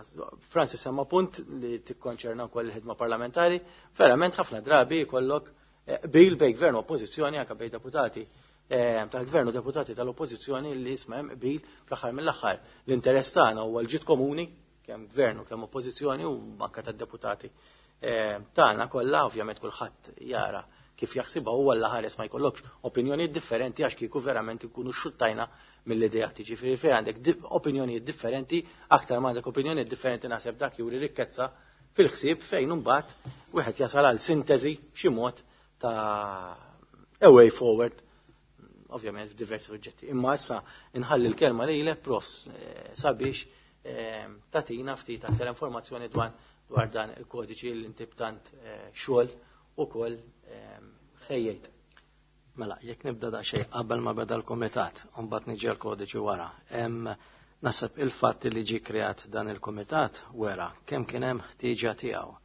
Francis semma punt li tikkonċerna wkoll il-ħidma parlamentari, verament ħafna drabi jkollok bil bej gvern u oppożizzjoni, anke bej deputati tal-gvern u deputati tal-oppożizzjoni li jisma' hemm qbil fl-aħħar mill-aħħar. L-interess tagħna huwa l-ġid komuni, kemm gvern u kemm oppożizzjoni u anke tad-deputati tagħna kollha, ovvjament kulħadd jara kif jaħsibha huwa l ħares ma jkollokx opinjonijiet differenti għax kieku verament ikunu xuttajna mill-ideat. Ġifieri fejn għandek opinjonijiet differenti, aktar ma għandek opinjonijiet differenti naħseb dak juri rikkezza fil-ħsieb fejn imbagħad wieħed jasal għal sintesi b'xi mod ta' a way forward, ovvjament f'diversi suġġetti. Imma issa inħalli l-kelma lilek, profs, sabiex tatina ftit aktar informazzjoni dwar dwar dan il-kodiċi li inti b'tant xogħol ukoll ħejjejt. Mela, jekk nibda daqsxejn qabel ma beda l-kumitat, u mbagħad niġi l-kodiċi wara. Naħseb il-fatt li ġie kreat dan il-kumitat wera kemm kien hemm ħtieġa tiegħu.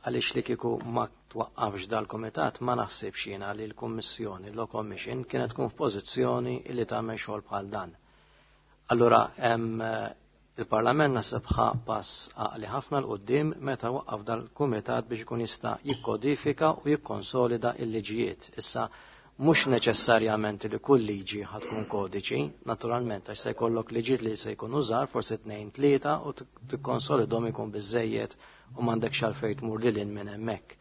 Għaliex li kieku ma twaqqafx dal-kumitat ma naħsibx jiena li l-Kummissjoni, l-Law Commission, kienet tkun f'pożizzjoni li tagħmel xogħol bħal dan. Allura il-Parlament naħseb ħa pass għaqli ħafna l-qoddim meta waqqaf dal-kumitat biex ikun jista' jikkodifika u jikkonsolida l-liġijiet. Issa mhux neċessarjament li kull liġi ħad tkun kodiċi, naturalment għax se jkollok liġijiet li se jkunu żgħar, forsi tnejn tlieta, u tikkonsolidhom ikun biżejjed u m'għandekx għalfejn tmur lil hinn minn hemmhekk.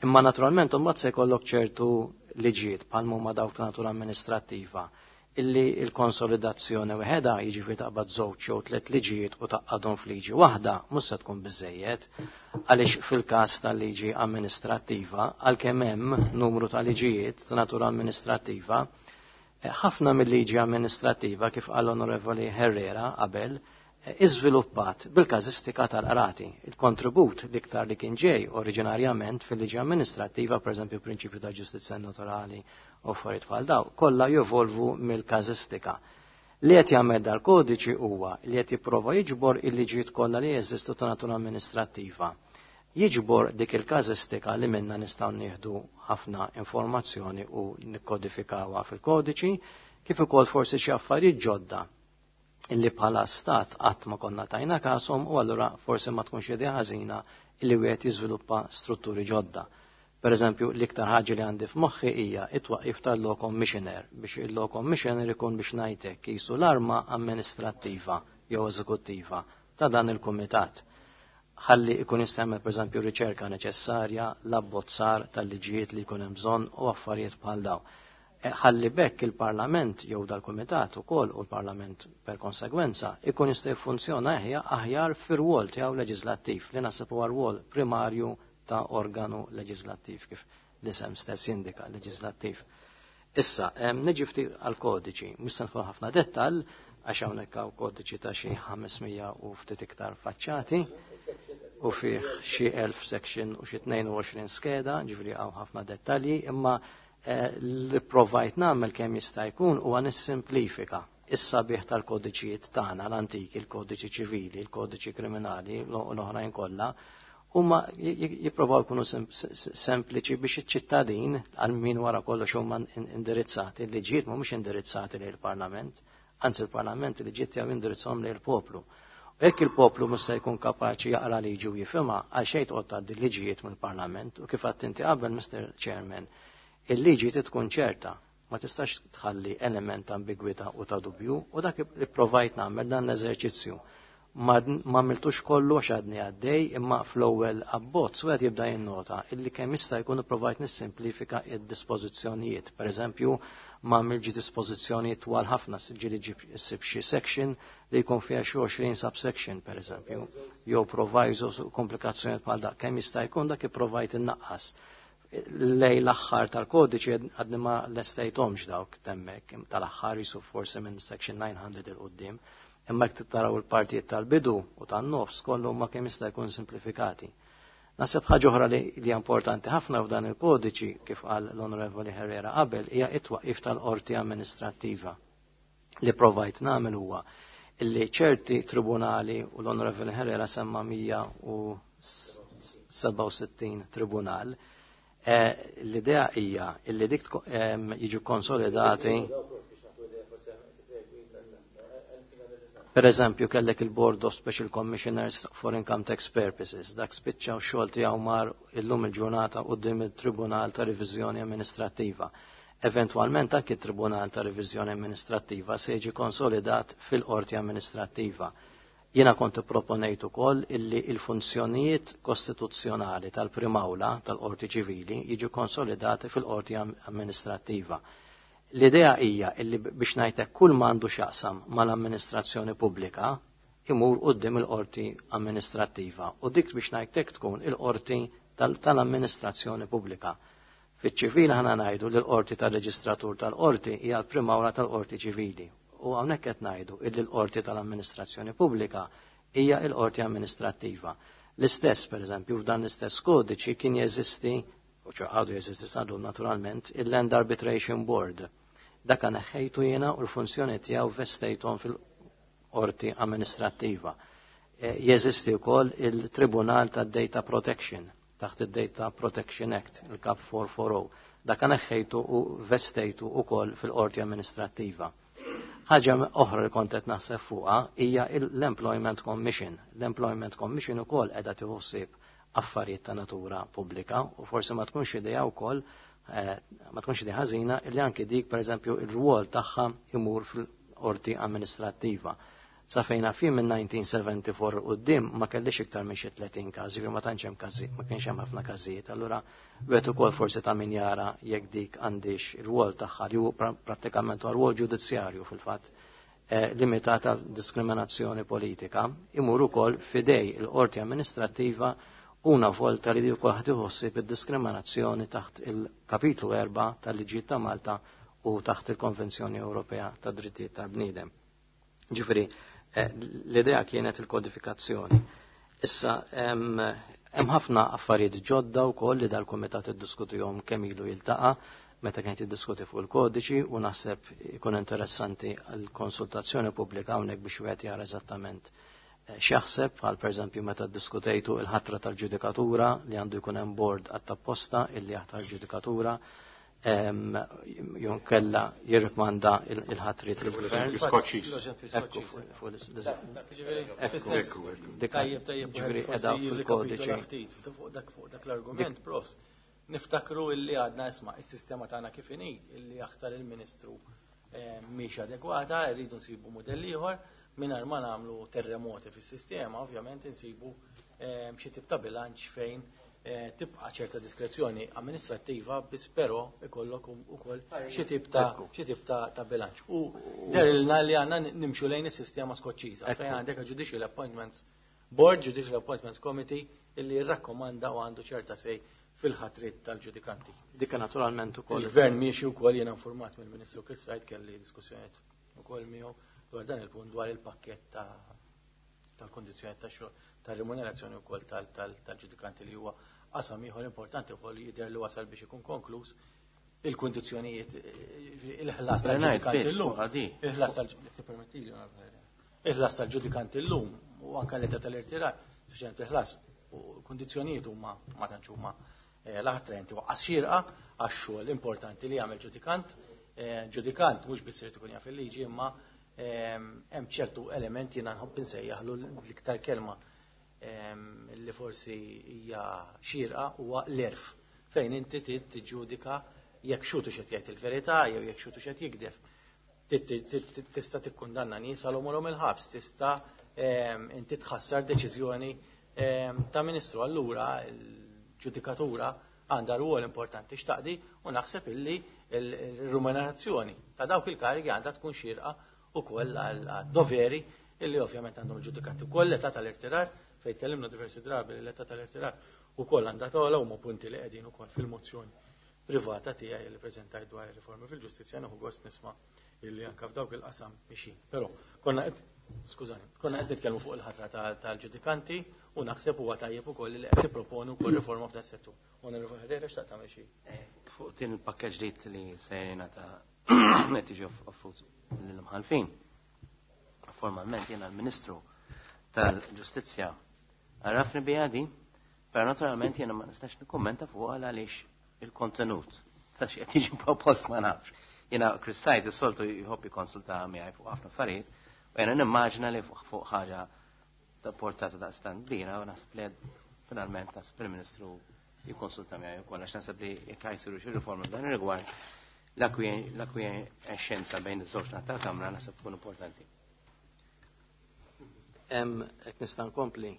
Imma naturalment imbagħad se jkollok ċertu liġijiet bħal huma dawk ta' natura amministrattiva illi il-konsolidazzjoni weħeda, jiġifieri taqbad żewġ jew tliet liġijiet u taqgħadhom f'liġi waħda, mhux se tkun biżejjed, għaliex fil-każ tal-liġi amministrattiva, għalkemm hemm numru ta' liġijiet ta' natura amministrattiva, ħafna mill-liġi amministrattiva, kif qal Onorevoli Herrera qabel, iżviluppat bil-każistika tal-qrati. Il-kontribut l-iktar li kien ġej oriġinarjament fil-liġi amministrattiva, pereżempju prinċipju ta' ġustizzja naturali u affarijiet bħal daw, kollha jevolvu mill-każistika. Li qed jagħmel dal-kodiċi huwa li qed jipprova jiġbor il-liġijiet kollha li jeżistu ta' natura amministrattiva. Jiġbor dik il-każistika li minna nistgħu nieħdu ħafna informazzjoni u nikkodifikawha fil-kodiċi, kif ukoll forsi xi affarijiet ġodda illi bħala stat qatt ma konna tajna kasom u allura forsi ma tkunx idea ħażina illi wieħed jiżviluppa strutturi ġodda. Per eżempju, l-iktar ħaġa li għandi f'moħħi hija it-twaqqif tal-Law Commissioner biex il-Law Commissioner ikun biex ngħidlek qisu l-arma amministrattiva jew eżekuttiva ta' dan il-kumitat. Ħalli ikun jistgħmel pereżempju riċerka neċessarja, l-abbozzar tal-liġijiet li jkun hemm bżonn u affarijiet bħal dawn. Ħalli bekk il-Parlament jew dal-Kumitat ukoll u l-Parlament per konsegwenza ikun jista' jiffunzjona aħjar fir-rwol tiegħu leġislattiv li naħseb huwa rwol primarju ta' organu leġislattiv kif l-isem stess jindika leġislattiv. Issa, niġi ftit għall-kodiċi, mhux se nidħol ħafna dettall għax hawnhekk hawn kodiċi ta' xi ħames mija u ftit iktar faċċati u fih xi elf section u xi tnejn u għoxrin skeda, ġifieri hawn ħafna dettalji, imma li provajt nagħmel kemm jista' jkun huwa nissimplifika is-sabiħ tal-kodiċijiet tagħna l-antiki, il-kodiċi ċivili, il-kodiċi kriminali, l-oħrajn kollha, huma jipprovaw jkunu sempliċi biex iċ-ċittadin għal min wara kollox huma indirizzati, il-liġijiet mhumiex indirizzati lejn il-Parlament, anzi il-Parlament il-liġijiet tiegħu indirizzhom lejn il-poplu. U jekk il-poplu mhux se jkun kapaċi jaqra liġi u jifhimha, għal xejn toqgħod tgħaddi liġijiet mill-Parlament u kif għedt inti qabel, Mister Chairman, il-liġi trid tkun ċerta, ma tistax tħalli element ta' ambigwità u ta' dubju, u dak li provajt nagħmel dan l-eżerċizzju. Ma għamiltux kollu għax għadni għaddej, imma fl-ewwel abbozz wieħed jibda jinnota illi kemm jista' jkun provajt nissimplifika id-dispożizzjonijiet. Per eżempju, ma għamilġi dispożizzjonijiet twal ħafna, ġieli ġib issib xi section li jkun fiha xi għoxrin subsection, per eżempju, jew provisos u komplikazzjonijiet bħal dak. Kemm jista' jkun dak ipprovajt innaqqas. Lej l-aħħar tal-kodiċi għadni ma lestejthomx dawk temmek, tal-aħħar jisu forsi minn section nine hundred il-qoddim, imma jekk taraw il-partijiet tal-bidu u tan-nofs kollu ma kemm jista' jkun simplifikati. Naħseb ħaġa oħra li hija importanti ħafna f'dan il-kodiċi, kif qal l-Onorevoli Herrera qabel, hija it-twaqqif tal-qorti amministrattiva. Li provajt nagħmel huwa illi ċerti tribunali, u l-Onorevoli Herrera semma mija u sebgħa u sittin tribunal, l-idea hija illi dik jiġu konsolidati. Per eżempju, kellek il-Board of Special Commissioners for Income Tax Purposes, dak spiċċa u xogħol tiegħu mar illum il-ġurnata quddiem il-Tribunal ta' Reviżjoni Amministrattiva. Eventwalment anki il-Tribunal ta' Reviżjoni Amministrattiva se jiġi konsolidat fil-Qorti Amministrattiva. Jiena kont proponejt ukoll illi il-funzjonijiet kostituzzjonali tal-Primawla tal-Qorti Ċivili jiġu konsolidati fil-Qorti Amministrattiva. L-idea hija illi biex ngħidlek kull ma għandu x'jaqsam mal-amministrazzjoni pubblika imur quddiem il-Qorti Amministrattiva u dik biex ngħidlek tkun il-Qorti tal-Amministrazzjoni Pubblika. Fiċ-ċivili ħana ngħidu li l-Qorti tal-Reġistratur tal-Qorti hija l-Primawla tal-Qorti Ċivili. U hawnhekk qed ngħidu illi l-Qorti tal-Amministrazzjoni Pubblika hija l-Qorti Amministrattiva. L-istess, pereżempju, f'dan l-istess kodiċi kien jeżisti, u ċo għadu jeżisti sadu naturalment, il-Land Arbitration Board. Dak neħħejtu jiena u l-funzjoni tiegħu vestejthom fil-Qorti Amministrattiva. Jeżisti wkoll il-Tribunal tad-Data Protection taħt id-Data Protection Act, il-Kap four four oh. Dak neħħejtu u vestejtu wkoll fil-Qorti Amministrattiva. Ħaġa oħra li kont qed naħseb fuqha hija l-Employment Commission. L-Employment Commission ukoll qiegħda tieħu ħsieb affarijiet ta' natura pubblika u forsi ma tkunx idea wkoll, eh, ma tkunx idea ħażina li anke dik pereżempju ir-rwol tagħha imur fil-qorti amministrattiva. Sa fejn naf jien minn nineteen seventy-four quddiem ma kellix iktar minn xi tletin każ, jiġifieri ma tantx hemm każi, ma kienx hemm ħafna każijiet. Allura wieħed ukoll forsi ta' min jara jekk dik għandix ir-rwol tagħha li hu prattikament huwa rwol ġudizzjarju fil-fatt, eh, limitat għal diskriminazzjoni politika, imur ukoll fidej il-qorti amministrattiva una volta li wkoll ħadd iħossib id-diskriminazzjoni taħt il-kapitlu erba' tal-Liġijiet ta' Malta u taħt il-Konvenzjoni Ewropea tad Drittijiet tal-Bniedem. Ġifieri, L-idea kienet il-kodifikazzjoni. Issa hemm ħafna affarijiet ġodda wkoll li dal-kumitat iddiskutihom kemm ilu jiltaqa' meta kienet jiddiskuti fuq il-kodiċi, u naħseb ikun interessanti għal konsultazzjoni pubblika hawnhekk biex wieħed jara eżattament x'jaħseb, bħal pereżempju meta ddiskutejtu il-ħatra tal-ġudikatura li għandu jkun hemm board għat-tapposta illi jaħtar ġudikatura, jon kella jirrikmanda il-ħatrit lill-gvern. Ekku, ġifieri qiegħda fil-kodiċi. Fuq dak l-argument, prof, niftakru illi għadna isma' is-sistema tagħna kif inhi illi jaħtar il-Ministru mhix adegwata, rridu nsibu mudell ieħor mingħajr ma nagħmlu terremoti fis-sistema, ovvjament insibu xi tip ta' bilanċ fejn tibqa' ċerta diskrezzjoni amministrattiva, biss però ikollok ukoll xi tip ta' xi tip ta' bilanċ. U derilna li għandna nimxu lejn is-sistema Skoċċiża fejn għandek Judicial Appointments Board, Judicial Appointments Committee illi jirrakkomanda u għandu ċerta sej fil-ħatrit tal-ġudikanti. Dika naturalment ukoll. Il-gvern miexi wkoll, jiena informat mill-Ministru Chris Said, kelli diskussjonijiet ukoll miegħu dwar dan il-punt, dwar il-pakkett tal-kondizzjoni tax-xogħol, tal-remunerazzjoni wkoll tal-ġudikanti li huwa qasam ieħor importanti wkoll jidher li wasal biex ikun konkluż il-kundizzjonijiet, il-ħlas tal-ġudikanti llum. Il-ħlas tal-permettili, il-ħlas tal-ġudikanti llum u anke l-età tal-irtirar, speċjalment il-ħlas u l-kundizzjonijiet huma ma tantx huma l-attraenti waqqas xierqa għax-xogħol importanti li jagħmel ġudikant. Ġudikant mhux biss irid ikun jaf il-liġi, imma hemm ċertu elementi jiena nħobb insejjaħlu l-iktar kelma li forsi hija xierqa huwa l-erf, fejn inti trid tiġġudika jekk xutu x'qed jgħid il-verità jew jekk xutu x'qed jikdef. Tista' tikkundanna nies għal għomorhom il-ħabs, tista' inti tħassar deċiżjoni ta' ministru. Allura l-ġudikatura għandha rwol importanti x'taqdi, u naħseb illi l-remunerazzjoni ta' dawk il-karigi għandha tkun xierqa ukoll għad-doveri illi ovvjament għandhom il-ġudikanti. Ukoll l-età tal-irtirar, fejn tkellimna diversi drabi li l-età tal-irtirar ukoll għandha togħla, huma punti li qegħdin ukoll fil-mozzjoni privata tiegħi li preżentajt dwar ir-riformi fil-ġustizzja. Nieħu gost nisma' illi anke f'dawk il-qasam mixin. Però konna qed, skużani, konna qed nitkellmu fuq il-ħatra tal-ġudikanti, u naħseb huwa tajjeb ukoll li qed tipproponu wkoll riforma f'dan settur. Onorevoli Herrera, xtaqt tagħmel xi. Fuq din il-pakkeġġ ġdid li se jingħata qed jiġi offrut lill-imħallfin. Formalment jiena l-Ministru tal-Ġustizzja għarrafni biha di, però naturalment jiena ma nistax nikkummenta fuq għaliex il-kontenut ta' x'qed jiġi propost ma nafx. Jiena Chris Said is-soltu jħobb jikkonsulta miegħi fuq ħafna affarijiet, u jiena nimmaġina li fuq ħaġa ta' portata ta' stand kbira, u naħseb li finalment naħseb il-Ministru jikkonsulta miegħi wkoll, għax naħseb li jekk jsiru xi riforma f'dan ir-rigward, l-akwienxenza bejn iż-żewġ naħat tal-Kamra naħseb tkun importanti. Hekk nista' nkompli.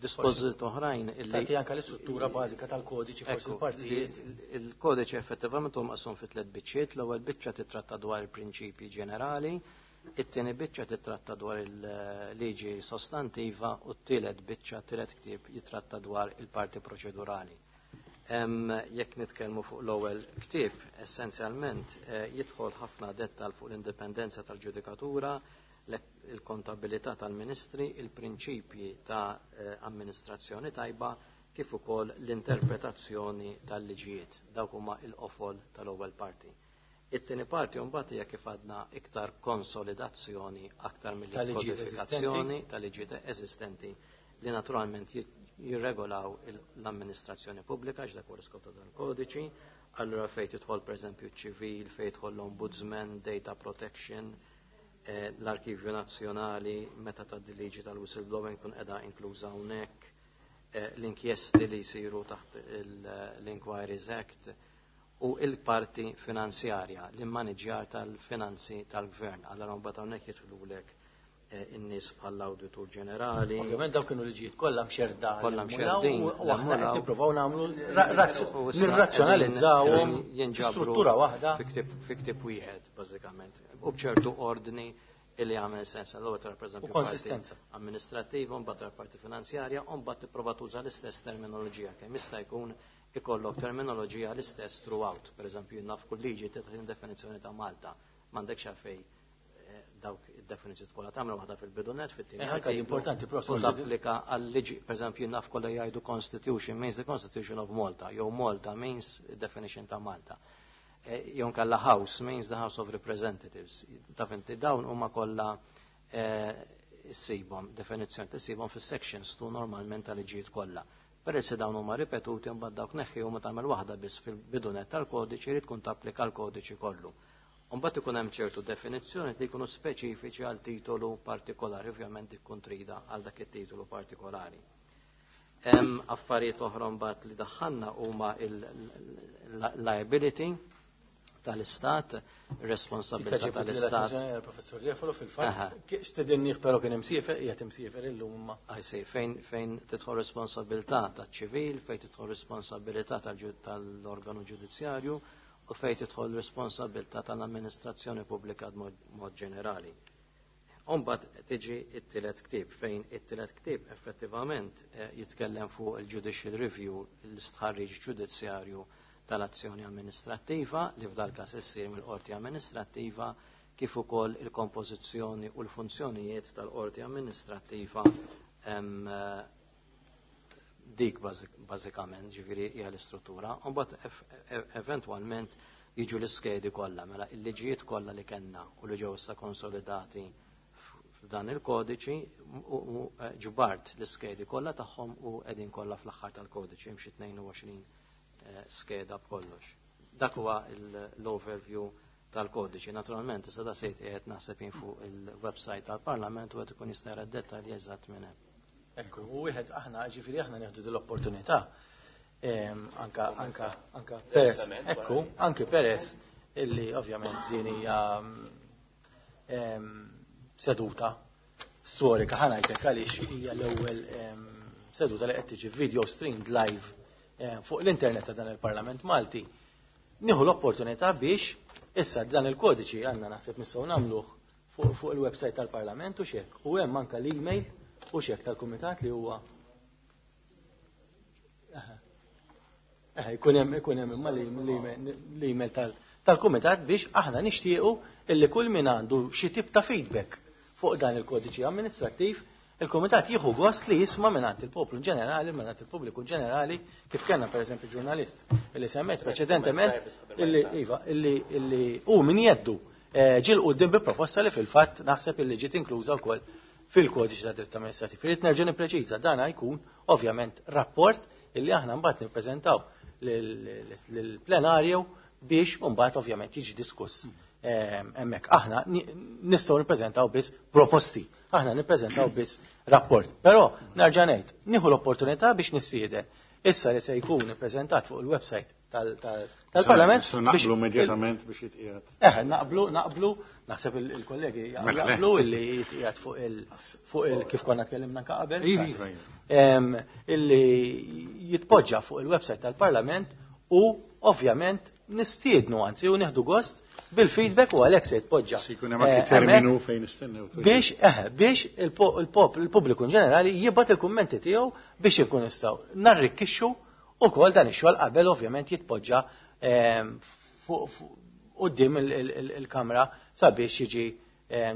Dispożit oħrajn illi tagħti anke l-istruttura bażika tal-kodiċi forsi l-partijiet. Il-kodiċi effettivament huwa maqsum fi tliet biċċiet. L-ewwel biċċa titratta dwar il-prinċipji ġenerali, it-tieni biċċa titratta dwar il-liġi sostantiva, u t-tielet biċċa, t-tielet ktieb jitratta dwar il-parti proċedurali. Jekk nitkellmu fuq l-ewwel ktieb, essenzjalment jidħol ħafna dettal fuq l-indipendenza tal-ġudikatura, il-kontabilità tal-ministri, il-prinċipji ta' amministrazzjoni tajba, kif ukoll l-interpretazzjoni tal-liġijiet. Dawk huma l-qofol tal-ewwel parti. It-tieni parti mbagħad hija kif għadna iktar konsolidazzjoni aktar mill-kodifikazzjoni tal-liġijiet eżistenti li naturalment jirregolaw l-amministrazzjoni pubblika, x'dak huwa l-iskop ta' dan il-kodiċi. Allura fejn tidħol pereżempju ċ-ċivil, fejn jidħol l-ombudsman, data protection, l-Arkivju Nazzjonali, meta tgħaddi liġi tal-whistleblowing kun qiegħda inkluża hawnhekk, l-inkjesti li jsiru taħt l-Inquiries Act, u il-parti finanzjarja, l-immaniġjar tal-finanzi tal-gvern. Allora mbagħad hawnhekk jidħlulek in-nies bħall-Awditur Ġenerali. Ovvjament dawk kienu liġijiet kollha mxerda. Kollha mxerdin. U aħna qed nippruvaw nagħmlu nirrazzjonalizzawhom struttura waħda. Fi ktieb wieħed bażikament. U b'ċertu ordni illi għamel sens. Allura tara pereżempju U konsistenza amministrattiva, mbagħad tara parti finanzjarja, u mbagħad tipprova tuża l-istess terminoloġija kemm jista' jkun ikollok terminoloġija l-istess throughout. Pereżempju naf kull liġi tagħti definizzjoni ta' Malta, m'għandekx għalfejn Dawk id-definizzjoni kollha tagħmel waħda fil-bidunet, fit-tieni. Anke importanti prosit tapplika għal-liġi, pereżempju naf kollha jgħidu Constitution means the Constitution of Malta, jew Malta means definition ta' Malta. Jew nkella House means the House of Representatives. Taf inti dawn huma kollha issibhom definizzjoni tissibhom fis-sections tu normalment tal-liġijiet kollha. Peress li dawn huma ripetuti, mbagħad dawk neħħi u ma tagħmel waħda biss fil-bidunet tal-kodiċi li tkun tapplika l-kodiċi kollu. Mbagħad ikun hemm ċertu definizzjoni li jkunu speċifiċi għal titolu partikolari, ovvjament ikun trida għal dak it-titolu partikolari. Hemm affarijiet oħra mbagħad li daħħalna huma il-liability tal-istat, responsabilità tal-istat. Professor Refalo fil-fatt, stedinnieh però kien imsiefer, qiegħed imsiefer illum imma. I see, fejn fejn tidħol responsabilità taċ-ċivil, fejn tidħol responsabilità tal-organu ġudizzjarju u fejn tidħol responsabilità tal-amministrazzjoni pubblika b'mod ġenerali. Umbagħad tiġi it-tielet ktieb, fejn it-tielet ktieb effettivament jitkellem fuq il-judicial review, l-istħarriġ ġudizzjarju tal-azzjoni amministrattiva li f'dal każ issir mill-qorti amministrattiva, kif ukoll il-kompożizzjoni u l-funzjonijiet tal-qorti amministrattiva, dik bażikament ġifieri hija l-istruttura. Imbagħad eventwalment jiġu l-iskedi kollha, mela l-liġijiet kollha li kellna u li ġew issa konsolidati f'dan il-kodiċi, u ġbart l-iskedi kollha tagħhom u qegħdin kollha fl-aħħar tal-kodiċi, hemm xi tnejn u għoxrin skeda b'kollox. Dak huwa l-overview tal-kodiċi. Naturalment, issa da sejt qiegħed naħseb jien fuq il-website tal-Parlament u qed ikun jista' jara d-dettalji eżatt minn hemm. Ekku, u wieħed aħna, ġifieri aħna nieħdu din l-opportunità. Anka, anka, anka peress, ekku, anke peress illi ovvjament din hija seduta storika, ħa ngħidlek għaliex hija l-ewwel seduta li qed tiġi video streamed live fuq l-internet ta' dan il-Parlament Malti. Nieħu l-opportunità biex issa dan il-kodiċi għandna naħseb nistgħu nagħmluh fuq il-website tal-Parlament u xek. U hemm anke l-email u xek tal-kumitat li huwa jkun hemm ikun hemm imma l-email tal-kumitat biex aħna nixtiequ illi kull min għandu xi tip ta' feedback fuq dan il-kodiċi amministrattiv, il-kumitat jieħu gost li jisma' mingħand il-poplu ġenerali, mingħand il-pubbliku ġenerali, kif kellna pereżempju ġurnalist illi semmet preċedentement illi iva illi illi hu min jeddu ġie l quddiem bi proposta li fil-fatt naħseb illi ġiet inkluża wkoll fil-kodiċi ta' dritt amministrattiv. Irid nerġa' nippreċiża, dan jkun ovvjament rapport illi aħna mbagħad nippreżentaw lill-plenarju biex mbagħad ovvjament jiġi diskuss hemmhekk. Aħna nistgħu nippreżentaw biss proposti, aħna nippreżentaw biss rapport. Però nerġa' ngħid, nieħu l-opportunità biex nissieden issa li se jkun ippreżentat fuq il-website tal-Parlament. Naqblu immedjatament biex jitqiegħed. Eh, naqblu, naqblu, naħseb il-kollegi jaqblu illi jitqiegħed fuq il fuq il kif konna tkellimna anke qabel. Illi jitpoġġa fuq il-website tal-Parlament u ovvjament nistiednu anzi u nieħdu gost bil-feedback u għalhekk se jitpoġġa. Se jkun hemm anke terminu fejn nistennew. Biex eh biex il-pubbliku ġenerali jibgħat il-kummenti tiegħu biex ikun nistgħu narrikkixxu ukoll dan ix-xogħol qabel ovvjament jitpoġġa fuq quddiem il-kamra sabiex jiġi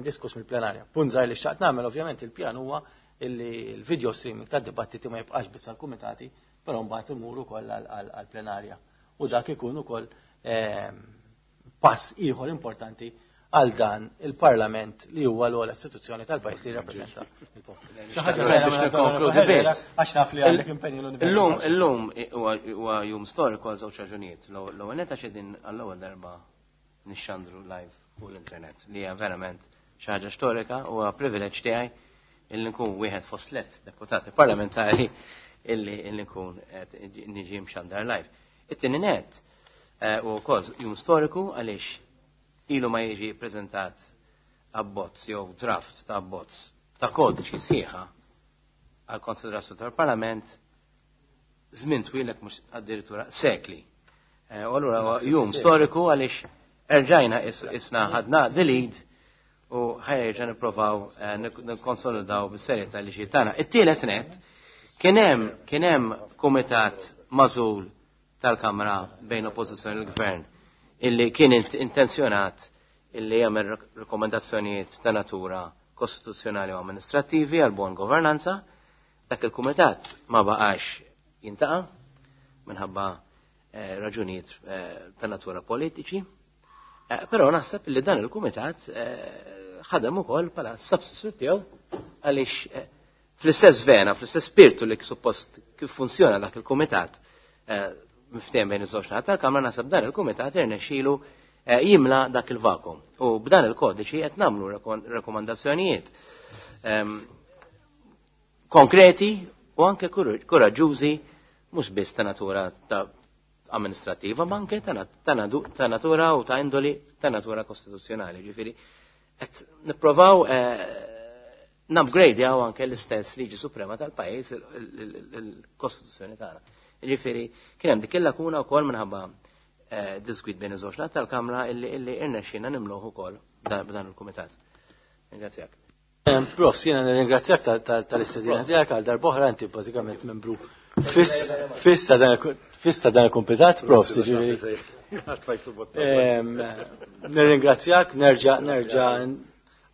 diskuss mill-plenarja. Punt żgħir li xtaqt nagħmel, ovvjament il-pjan huwa illi l-video streaming tad-dibattiti ma jibqax biss għall-kumitati, però mbagħad imur ukoll għall-plenarja. U dak ikun ukoll pass ieħor importanti għal dan il-Parlament li huwa l-ogħla istituzzjoni tal-pajjiż li jirrappreżenta il-poplu. Xi ħaġa biex nikkonkludi biss. Għax naf li għandek impenju l-università. Illum huwa jum storiku għal żewġ raġunijiet. L-ewwel nett għax qegħdin għall-ewwel darba nixxandru live fuq l-internet li hija verament xi ħaġa storika u huwa privileġġ tiegħi illi nkun wieħed fost tliet deputati parlamentari illi nkun qed niġi mxandar live. It-tieni nett u wkoll jum storiku għaliex ilu ma jiġi preżentat abbozz jew draft ta' abbozz ta' kodiċi sħiħa għal konsiderazzjoni tal-Parlament żmien twilek mhux addirittura sekli. U allura jum storiku għaliex erġajna isna ħadna the lead u ħajja nipprovaw nikkonsolidaw bis-serjetà li xi tagħna. It-tielet nett kien hemm kien hemm kumitat magħżul tal-Kamra bejn oppożizzjoni u l-Gvern illi kien intenzjonat illi jagħmel rekomendazzjonijiet ta' natura kostituzzjonali u amministrattivi għal buon governanza. Dak il-kumitat ma baqax jintaqa' minħabba eh, raġunijiet eh, ta' natura politiċi. Eh, però naħseb li dan il-kumitat ħadem ukoll bħala substitute tiegħu għaliex fl-istess vena, fl-istess spirtu li suppost kif funzjona dak il-kumitat miftehim bejn iż-żewġ naħat tal-Kamra, naħseb dan il-kumitat irnexxielu jimla dak il-vakum. U b'dan il-kodiċi qed nagħmlu rekomandazzjonijiet ehm, konkreti u anke kuraġġużi, mhux biss ta' natura ta' amministrativa, ma anke ta' natura u ta' indoli ta' natura kostituzzjonali. Ġifieri qed nipprovaw eh, nupgrade anke l-istess liġi suprema tal-pajjiż, il-Kostituzzjoni tagħna. Ġifieri kien hemm dik il-lakuna wkoll minħabba eh, diskwit bejn iż-żewġ tal-Kamra illi illi irnexxina nimluh ukoll b'dan il-kumitat. Ringrazzjak. Prof, jiena nirringrazzjak tal-istedina tiegħek għal darb'oħra. Inti bażikament membru fiss ta' dan il-kumitat, Prof, ġifieri. Nirringrazzjak, nerġa' nerġa'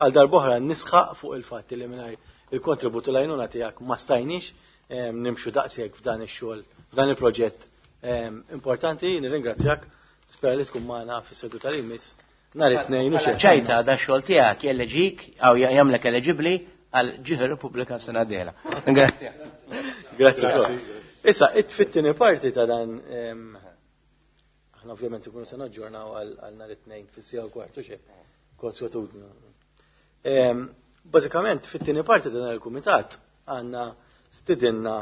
għal darb'oħra nisħaq fuq il-fatt li mingħajr il-kontribut u l-għajnuna tiegħek ma stajniex nimxu daqshekk f'dan ix-xogħol, f'dan il-proġett importanti. Nirringrazzjak, spera li tkun magħna fis-seduta li jmiss nhar it-tnejn. Ċajta da xogħol tiegħek jelleġik aw jagħmlek eliġibbli għal ġieħ Repubblika sena dieħla. Grazie. Grazie. Issa, fit-tieni parti ta' dan, aħna ovvjament ikunu se naġġornaw għal nhar it-tnejn fis-siegħa u kwartu xejn. Konswetudni. Bażikament, fit-tieni parti ta' dan il-kumitat għandna stidinna,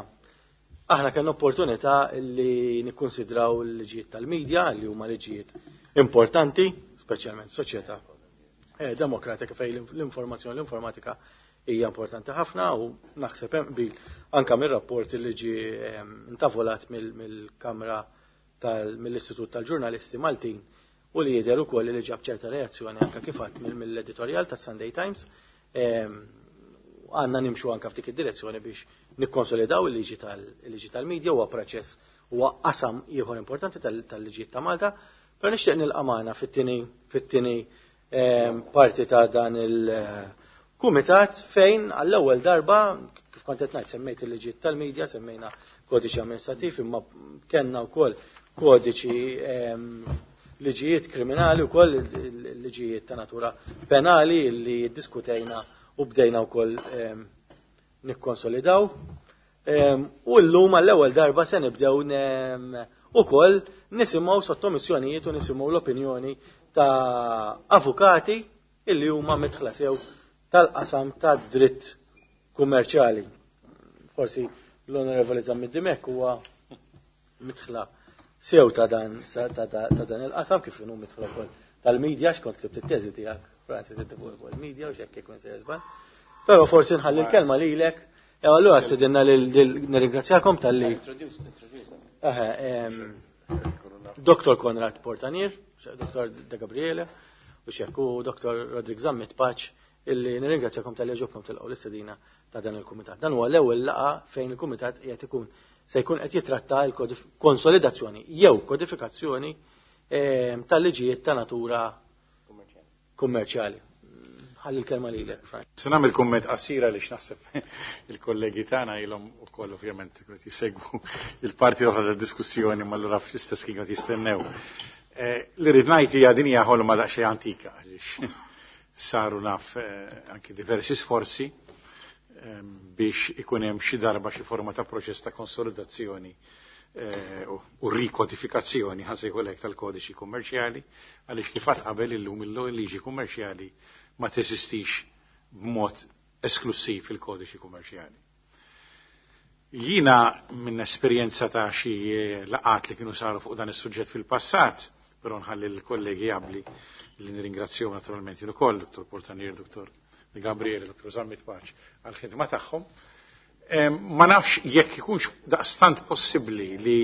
aħna kellna opportunità li nikkonsidraw l-liġijiet tal-medja, li huma liġijiet importanti, speċjalment soċjetà eh, demokratika fejn l-informazzjoni, l-informatika hija importanti ħafna, u naħseb hemm bil anka mir-rapport li ġie intavolat mill-Kamra mill-Istitut tal-Ġurnalisti Maltin u li jidher ukoll li ġab ċerta reazzjoni anka kif għadd mill-editorial tas-Sunday Times. Għandna nimxu anka f'dik id-direzzjoni biex nikkonsolidaw il-liġi tal-liġi tal-medja. Huwa proċess, huwa qasam ieħor importanti tal-liġijiet ta' Malta. Però nixtieq nilqa' magħna fit-tieni fit-tieni parti ta' dan il-kumitat fejn għall-ewwel darba, kif kont qed ngħid, semmejt il-liġijiet tal-medja, semmejna kodiċi amministrativ, imma kellna wkoll kodiċi, liġijiet kriminali wkoll, liġijiet ta' natura penali li diskutejna u bdejna wkoll nikkonsolidaw. U llum għall-ewwel darba se nibdew ukoll nisimgħu sottomissjonijiet u nisimgħu l-opinjoni ta' avukati illi huma midħla sew tal-qasam ta' dritt kummerċjali. Forsi l-Onorevoli Zammit Dimech huwa midħla sew ta' dan ta' dan il-qasam, kif inhu midħla wkoll tal-medja, x'kont ktibt it-teżi tiegħek, Francis, inti fuq il-media u x'hekk jkun se żball. Però forsi nħalli l-kelma lilek. Ew allura stedinna nirringrazzjakom talli Doktor Konrad Portanier, Doktor De Gabriele, u xekku Doktor Rodrik Zammit Paċ, illi nirringrazzjakom talli ġobkom tilqgħu l-istedina ta' dan il-kumitat. Dan huwa l-ewwel laqgħa fejn il-kumitat qiegħed ikun se jkun qed jitratta l-konsolidazzjoni jew kodifikazzjoni tal-liġijiet ta' natura kummerċjali. Ħalli l-kelma lilek, Frank. Se nagħmel kumment qasira li naħseb il-kollegi tagħna ilhom ukoll ovvjament qed jisegwu il-parti oħra tad-diskussjoni, ma allura fl-istess kien qed jistennew. Li rrid ngħid hija din hija ħolma daqsxejn antika, għaliex saru naf anki diversi sforzi biex ikun hemm xi darba xi forma ta' proċess ta' konsolidazzjoni u rikodifikazzjoni, ħa tal-kodiċi kummerċjali, għaliex kif qabel illum il-liġi kummerċjali ma teżistix b'mod esklusiv fil-kodiċi kummerċjali. Jina minn esperjenza ta' xi laqat li kienu saru fuq dan is-suġġett fil-passat, però nħalli l-kollegi qabli li nirringrazzjahom naturalment jien ukoll, Dottor Portanier, Dottor Gabriele, Dottor Zammit Paċ, għall-ħidma tagħhom. Ma nafx jekk ikunx daqstant possibbli li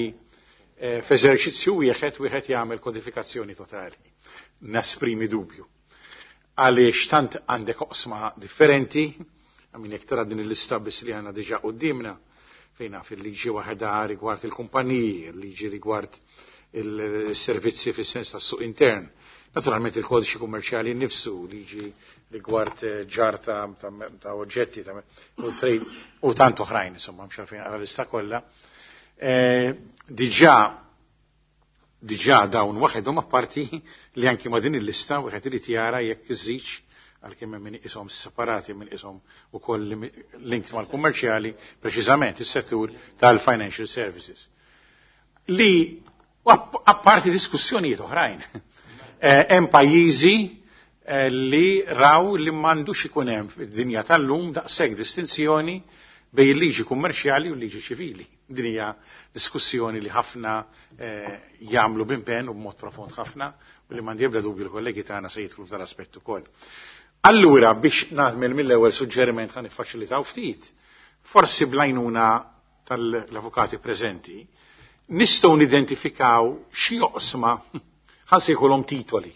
f'eżerċizzju wieħed wieħed jagħmel kodifikazzjoni totali. Nesprimi dubju. Għaliex tant għandek oqsma differenti, għamin jekk tara din il-lista biss li għandna diġà quddiemna, fejn naf il-liġi waħda rigward il-kumpaniji, il-liġi rigward il-servizzi fis-sens tas-suq intern, Naturalment il-kodiċi kummerċjali nnifsu, liġi rigward ġarr ta', ta, ta oġġetti ta' u trade u tant oħrajn, insomma, mhux għalfejn għala lista kollha. Eh, diġà diġà dawn waħedhom, apparti li anki ma' din il-lista wieħed irid jara jekk iżidx, għalkemm hemm min iqishom separati, min iqishom ukoll linked mal-kummerċjali, preċiżament is-settur tal-financial services. Li apparti diskussjonijiet oħrajn. Eh, hemm pajjiżi eh, li raw li m'għandux ikun hemm fid-dinja tal-lum daqshekk distinzjoni bejn il-liġi kummerċjali u l-liġi ċivili. Din hija diskussjoni li ħafna eh, jagħmlu b'impenn u b'mod profond ħafna u li m'għandi ebda dubju l-kollegi tagħna se jidħlu f'dal aspett ukoll. Allura, biex nagħmel mill-ewwel suġġeriment, ħa niffaċilitaw ftit, forsi bl-għajnuna tal-avukati preżenti, nistgħu nidentifikaw xi oqsma, ħa nsejħulhom titoli,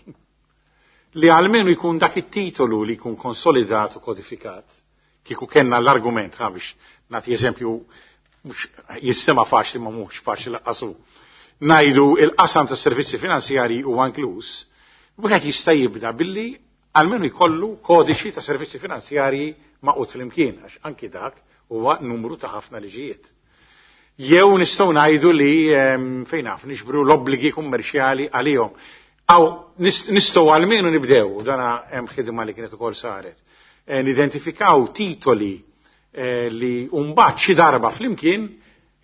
li almenu jkun dak it-titolu li jkun konsolidat u kodifikat. Kieku kellna l-argument, ħa biex nagħti eżempju, mhux jistema faċli ma mhux faċli laqqasu. Ngħidu il-qasam ta' servizzi finanzjari huwa inkluż, wieħed jista' jibda billi almenu jkollu kodiċi ta' servizzi finanzjarji magħqud flimkien, għax anki dak huwa numru ta' ħafna liġijiet. Jew nistgħu ngħidu li fejn naf niġbru l-obbligi kummerċjali għalihom. Aw nistgħu almenu nibdew, u dana hemm ħidma li kienet ukoll saret, eh, nidentifikaw titoli eh, li mbagħad xi darba flimkien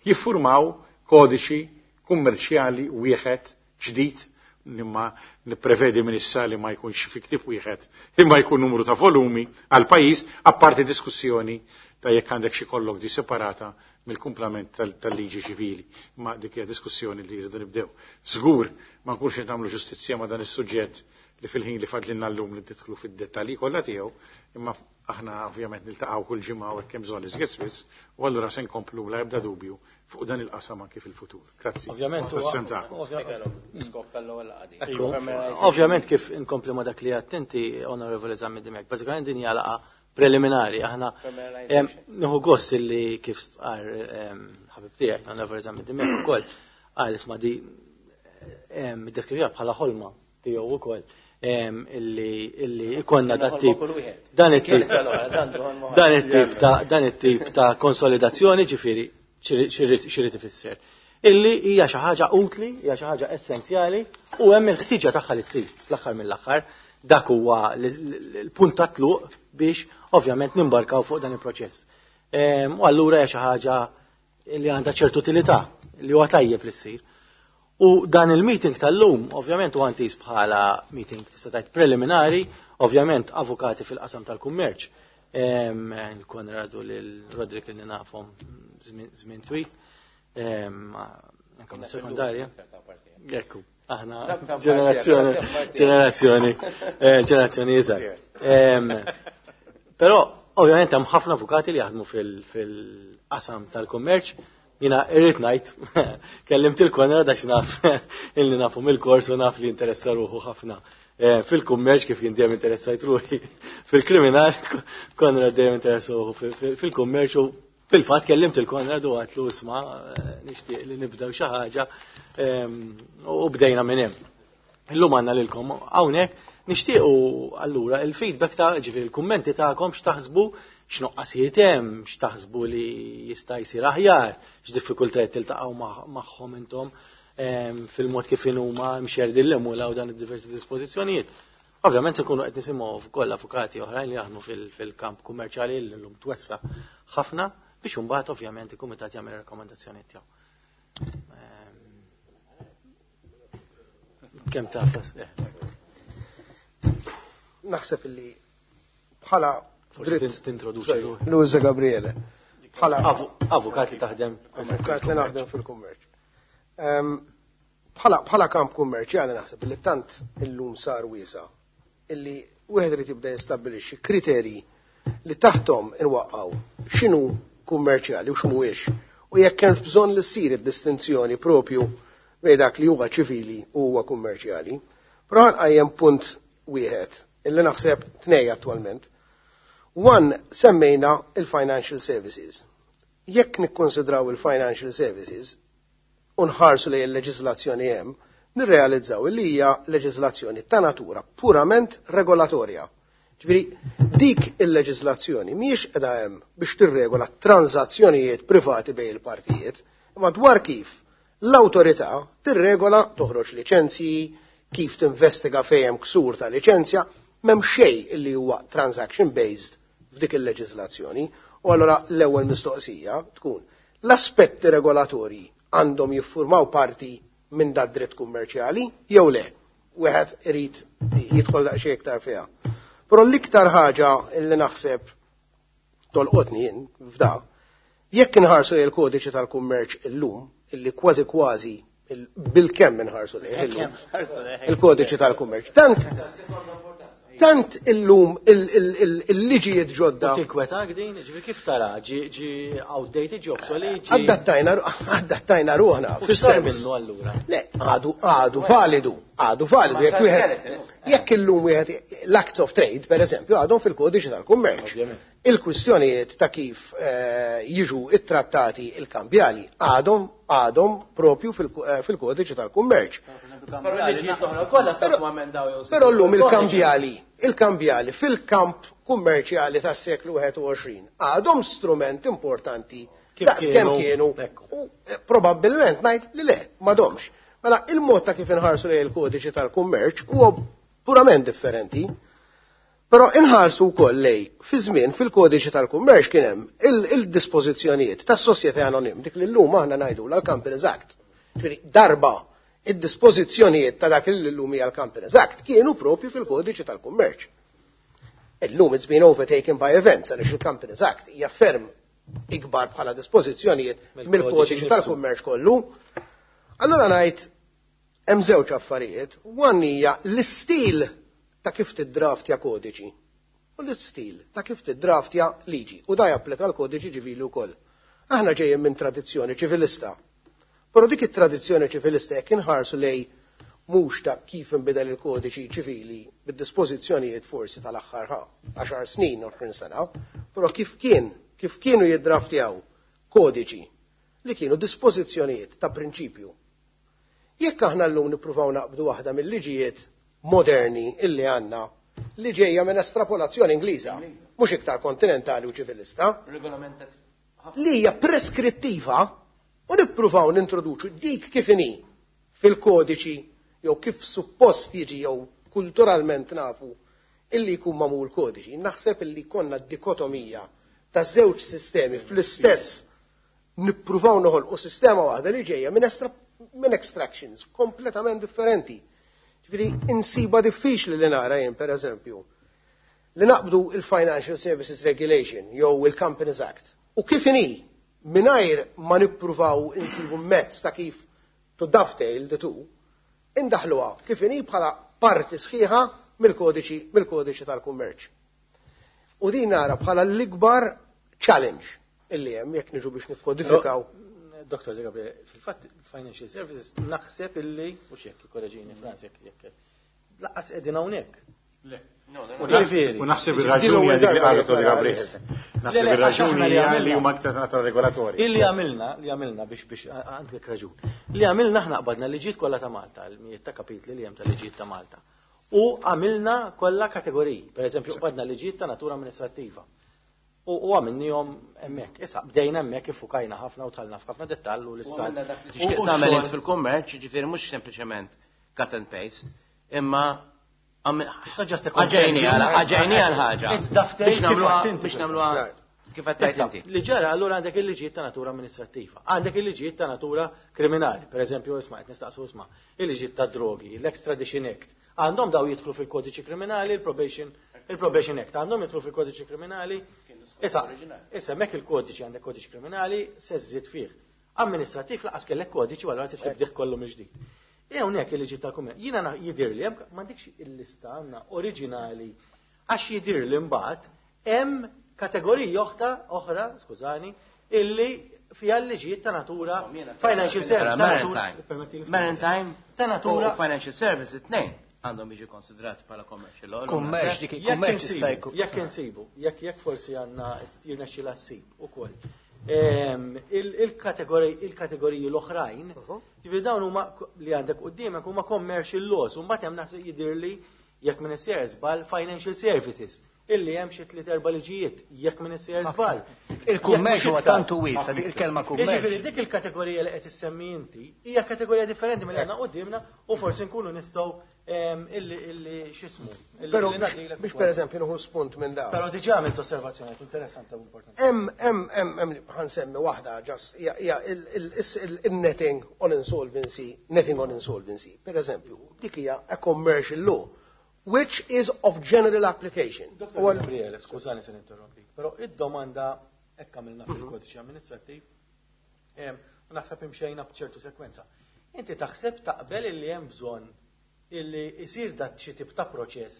jiffurmaw kodiċi kummerċjali wieħed ġdid, imma nipprevedi minn issa li ma jkunx fi ktieb wieħed, imma jkun numru ta' volumi għal pajjiż, apparti diskussjoni ta' jekk għandek xi kollok di separata mill-kumplament tal-liġi ċivili. Ma dik hija diskussjoni li jridu nibdew. Żgur ma nkunx qed nagħmlu ġustizzja ma' dan is-suġġett li fil-ħin li fadlilna llum li tidħlu fid-dettalji kollha tiegħu, imma aħna ovvjament niltaqgħu kull ġimgħa u hekk hemm bżonn iżjed spiss, u allura se nkomplu la ebda dubju fuq dan il-qasam anki fil-futur. Grazzi. Ovvjament Skop tal-ewwel laqgħa. Ovvjament kif inkompli ma dak li attenti, Onorevoli Zammit Dimech, bażikament din hija laqgħa preliminari. Aħna nieħu gost li kif stqar ħabib tiegħek, Onorevoli Zammit Dimech ukoll, qal isma' di iddeskriviha bħala ħolma tiegħu ukoll, illi illi ikonna dat tip dan it-tip dan it-tip ta' dan it-tip ta' konsolidazzjoni, ġifieri x'irid ifisser illi hija xi ħaġa utli, hija xi ħaġa essenzjali u hemm il-ħtiġa tagħha li ssir fl-aħħar mill-aħħar. Dak huwa l-punt ta' tluq biex ovvjament nimbarkaw fuq dan il-proċess. U allura hija xi ħaġa li għandha ċertu utilità li huwa tajjeb li ssir. U dan il-meeting tal-lum, ovvjament huwa intiż bħala meeting tista' tgħid preliminari, ovvjament avukati fil-qasam tal-kummerċ. Il-Konradu lil Rodrik li nafhom żmien twil. Anke sekondarja. Ekku, aħna ġenerazzjoni, ġenerazzjoni, ġenerazzjoni iżgħar. Però ovvjament hemm ħafna avukati li jaħdmu fil-qasam tal-kummerċ. Jiena irrid ngħid, kellimt il-Konrad għax naf illi nafu mill-kors u naf li interessa ruħu ħafna fil-kummerċ kif jien dejjem interessajt ruħi fil-kriminal, Konrad dejjem interessa ruħu fil-kummerċ u fil-fatt kellimt il-Konrad u għatlu isma' nixtieq li nibdew xi ħaġa u bdejna minn hemm. Illum għandna lilkom hawnhekk, nixtiequ allura il-feedback ta' ġifieri il-kummenti tagħkom, x'taħsbu, x'noqqasijiet hemm, x'taħsbu li jista' jsir aħjar, x'diffikultajiet tiltaqgħu magħhom intom fil-mod kif huma mxerdin l-emula u dan id-diversi dispożizzjonijiet. Ovvjament se nkunu qed nisimgħu wkoll avukati oħrajn li jaħdmu fil-kamp kummerċjali li llum twessa ħafna biex imbagħad ovvjament il-kumitat jagħmel rakkomandazzjonijiet tiegħu. Kemm taf? Naħseb illi bħala dritt tintroduċi ruħek. Luisa Gabriele. Bħala avukat li taħdem. Avukat li naħdem fil-kummerċ. Bħala bħala kamp kummerċjali naħseb illi tant illum sar wiesa illi wieħed irid jibda jistabbilixxi kriterji li taħtom inwaqqgħu x'inhu kummerċjali u x'mhuwiex, u jekk hemm bżonn li ssir id-distinzjoni propju bejn dak li huwa ċivili u huwa kummerċjali. Però ħanqajjem punt wieħed illi naħseb tnej attwalment. One, semmejna il-financial services. Jekk nikkonsidraw il-financial services u nħarsu lejn il-leġiżlazzjoni hemm, nirrealizzaw li hija leġiżlazzjoni ta' natura purament regolatorja. Ġifieri dik il-leġiżlazzjoni mhijiex qiegħda hemm biex tirregola transazzjonijiet privati bejn il-partijiet, imma dwar kif l-awtorità tirregola toħroġ liċenzji, kif tinvestiga fejn hemm ksur ta' liċenzja, m'hemm xejn li huwa transaction based f'dik il-leġiżlazzjoni. U allura l-ewwel mistoqsija tkun l-aspetti regolatorji għandhom jiffurmaw parti minn dat dritt kummerċjali jew le. Wieħed irid jidħol daqsxejn iktar fiha. Però l-iktar ħaġa li naħseb tolqotni jien f'da, jekk inħarsu lejn il-kodiċi tal-kummerċ illum, illi kważi kważi bil-kemm inħarsu lejh illum, il-kodiċi tal-kummerċ. Tant tant illum il-liġijiet ġodda. Tinkwetak din, ġifieri kif tara, ġi outdated, ġi obsolete? Adattajna adattajna ruħna. Fis-sens minnu allura. Le, għadu għadu validu, għadu validu. Jekk wieħed jekk illum wieħed l-acts of trade, per eżempju, għadhom fil-kodiċi tal-kummerċ. Il-kwistjonijiet ta' kif jiġu ittrattati il-kambjali għadhom għadhom propju fil-kodiċi tal-kummerċ. Però llum il-kambjali, il-kambjali fil-kamp kummerċjali tas-seklu wieħed u għoxrin għadhom strument importanti daqs kemm kienu. U probabbilment ngħid li le, m'għadhomx. Mela il-mod ta' kif inħarsu lejn il-kodiċi tal-kummerċ huwa purament differenti. Però inħarsu wkoll lej fi żmien fil-kodiċi tal-kummerċ kien hemm il-dispożizzjonijiet tas-Société Anonyme, dik li llum aħna ngħidu l-Companies Act. Ġifieri darba id-dispożizzjonijiet ta' dak li llum hija l-Companies Act kienu propju fil-kodiċi tal-kummerċ. Illum it's been overtaken by events għaliex il-Companies Act hija ferm ikbar bħala dispożizzjonijiet mill-kodiċi tal-kummerċ kollu. Allura ngħid hemm żewġ affarijiet. One hija l-istil ta' kif tiddraftja kodiċi u l-istil ta' kif tiddraftja liġi, u da japplika l-kodiċi ċivili wkoll. Aħna ġejjin minn tradizzjoni ċivilista. Però dik it-tradizzjoni ċivilista jekk inħarsu lej mhux ta' kif inbidel il-kodiċi ċivili bid-dispożizzjonijiet forsi tal-aħħar għaxar snin, għoxrin sena, però kif kien, kif kienu jiddraftjaw kodiċi li kienu dispożizzjonijiet ta' prinċipju. Jekk aħna llum nippruvaw naqbdu waħda mill-liġijiet moderni illi għandna li ġejja minn estrapolazzjoni Ingliża, mhux iktar kontinentali u ċivilista, li hija preskrittiva, u nippruvaw nintroduċu dik kif inhi fil-kodiċi jew kif suppost jiġi jew kulturalment nafu illi jkun magħmul kodiċi. Naħseb illi konna dikotomija ta' żewġ sistemi fl-istess nippruvaw noħolqu sistema waħda li ġejja minn minn extractions kompletament differenti. Ġifieri insiba diffiċli li nara jien per eżempju li naqbdu il-Financial Services Regulation jew il-Companies Act u kif inhi mingħajr ma nippruvaw insibu mezz ta' kif to dovetail the two, indaħluha kif inhi bħala parti sħiħa mill-kodiċi mill-kodiċi tal-kummerċ. U din nara bħala l-ikbar challenge illi hemm jekk niġu biex nikkodifikaw. Doktor Gabriel, fil-fatt Financial Services naħseb illi, u xek, korreġini Franz, jekk jekk laqas qegħdin hawnhekk. Le. U naħseb ir-raġuni għal dik li qalet Gabriel. Naħseb ir-raġuni hija li huma aktar natura regolatorji. Illi għamilna, li għamilna biex biex għandek raġun. Li għamilna aħna qbadna liġijiet kollha ta' Malta, l-mijiet ta' kapitli li hemm ta' liġijiet ta' Malta. U għamilna kollha kategoriji. Per eżempju, qbadna liġijiet ta' natura amministrattiva. U għamilnihom hemmhekk. Issa bdejna hemmhekk iffukajna ħafna u tħallna f'ħafna dettall u l-istat. Tixtieq tagħmel int fil-kummerċ, ġifieri mhux sempliċement cut and paste, imma Aġejni għal ħaġa. Biex nagħmluha biex nagħmluha kif qed tgħid inti. Li ġara allura għandek il-liġijiet ta' natura amministrattiva, għandek il-liġijiet ta' natura kriminali, per eżempju, isma' qed nistaqsu isma' il-liġijiet ta' drogi, l-Extradition Act. Għandhom daw jidħlu fil-kodiċi kriminali, il-Probation il-Probation Act, għandhom jidħlu fil-kodiċi kriminali. Issa, issa hemmhekk il-kodiċi għandek kodiċi kriminali se żżid fih. Amministrattiv laqas kellek kodiċi u allura tibdih kollu mill-ġdid. E hawnhekk il-liġi ta' kummerċ. Jiena jidhirli hemm m'għandikx il-lista għandna oriġinali għax jidhirli mbagħad hemm kategoriji oħra oħra, skużani, illi fiha l-liġijiet ta' natura financial service. Maritime ta' natura financial service it-tnejn għandhom jiġu konsidrati bħala commercial law. Kummerċ dik il-kummerċ jekk insibu, jekk jekk forsi għandna jirnexxi l-assib ukoll. Il-kategoriji l-oħrajn, ġifieri dawn huma li għandek quddiemek huma commercial laws, u mbagħad hemm naħseb jidhirli jekk minn isser żball financial services illi hemm xi tliet erba' liġijiet jekk minn isser żball. Il-kummerċ huwa tantu wiesa', dik il-kelma kummerċ. Jiġifieri dik il-kategorija li qed issemmi inti hija kategorija differenti milli għandna quddiemna u forsi nkunu nistgħu illi illi x'ismu. Però biex pereżempju nieħu spunt minn dawn. Però diġà għamilt osservazzjoni interessanti u importanti. Hemm hemm hemm hemm ħa nsemmi waħda just hija il-netting on insolvency, netting on insolvency. Per eżempju, dik hija a commercial law which is of general application. Dottor Gabriele, skużani se ninterrompi, però id-domanda hekk għamilna fil-kodiċi amministrattiv u naħseb imxejna b'ċertu sekwenza. Inti taħseb taqbel illi hemm bżonn illi jsir dat xi tip ta' proċess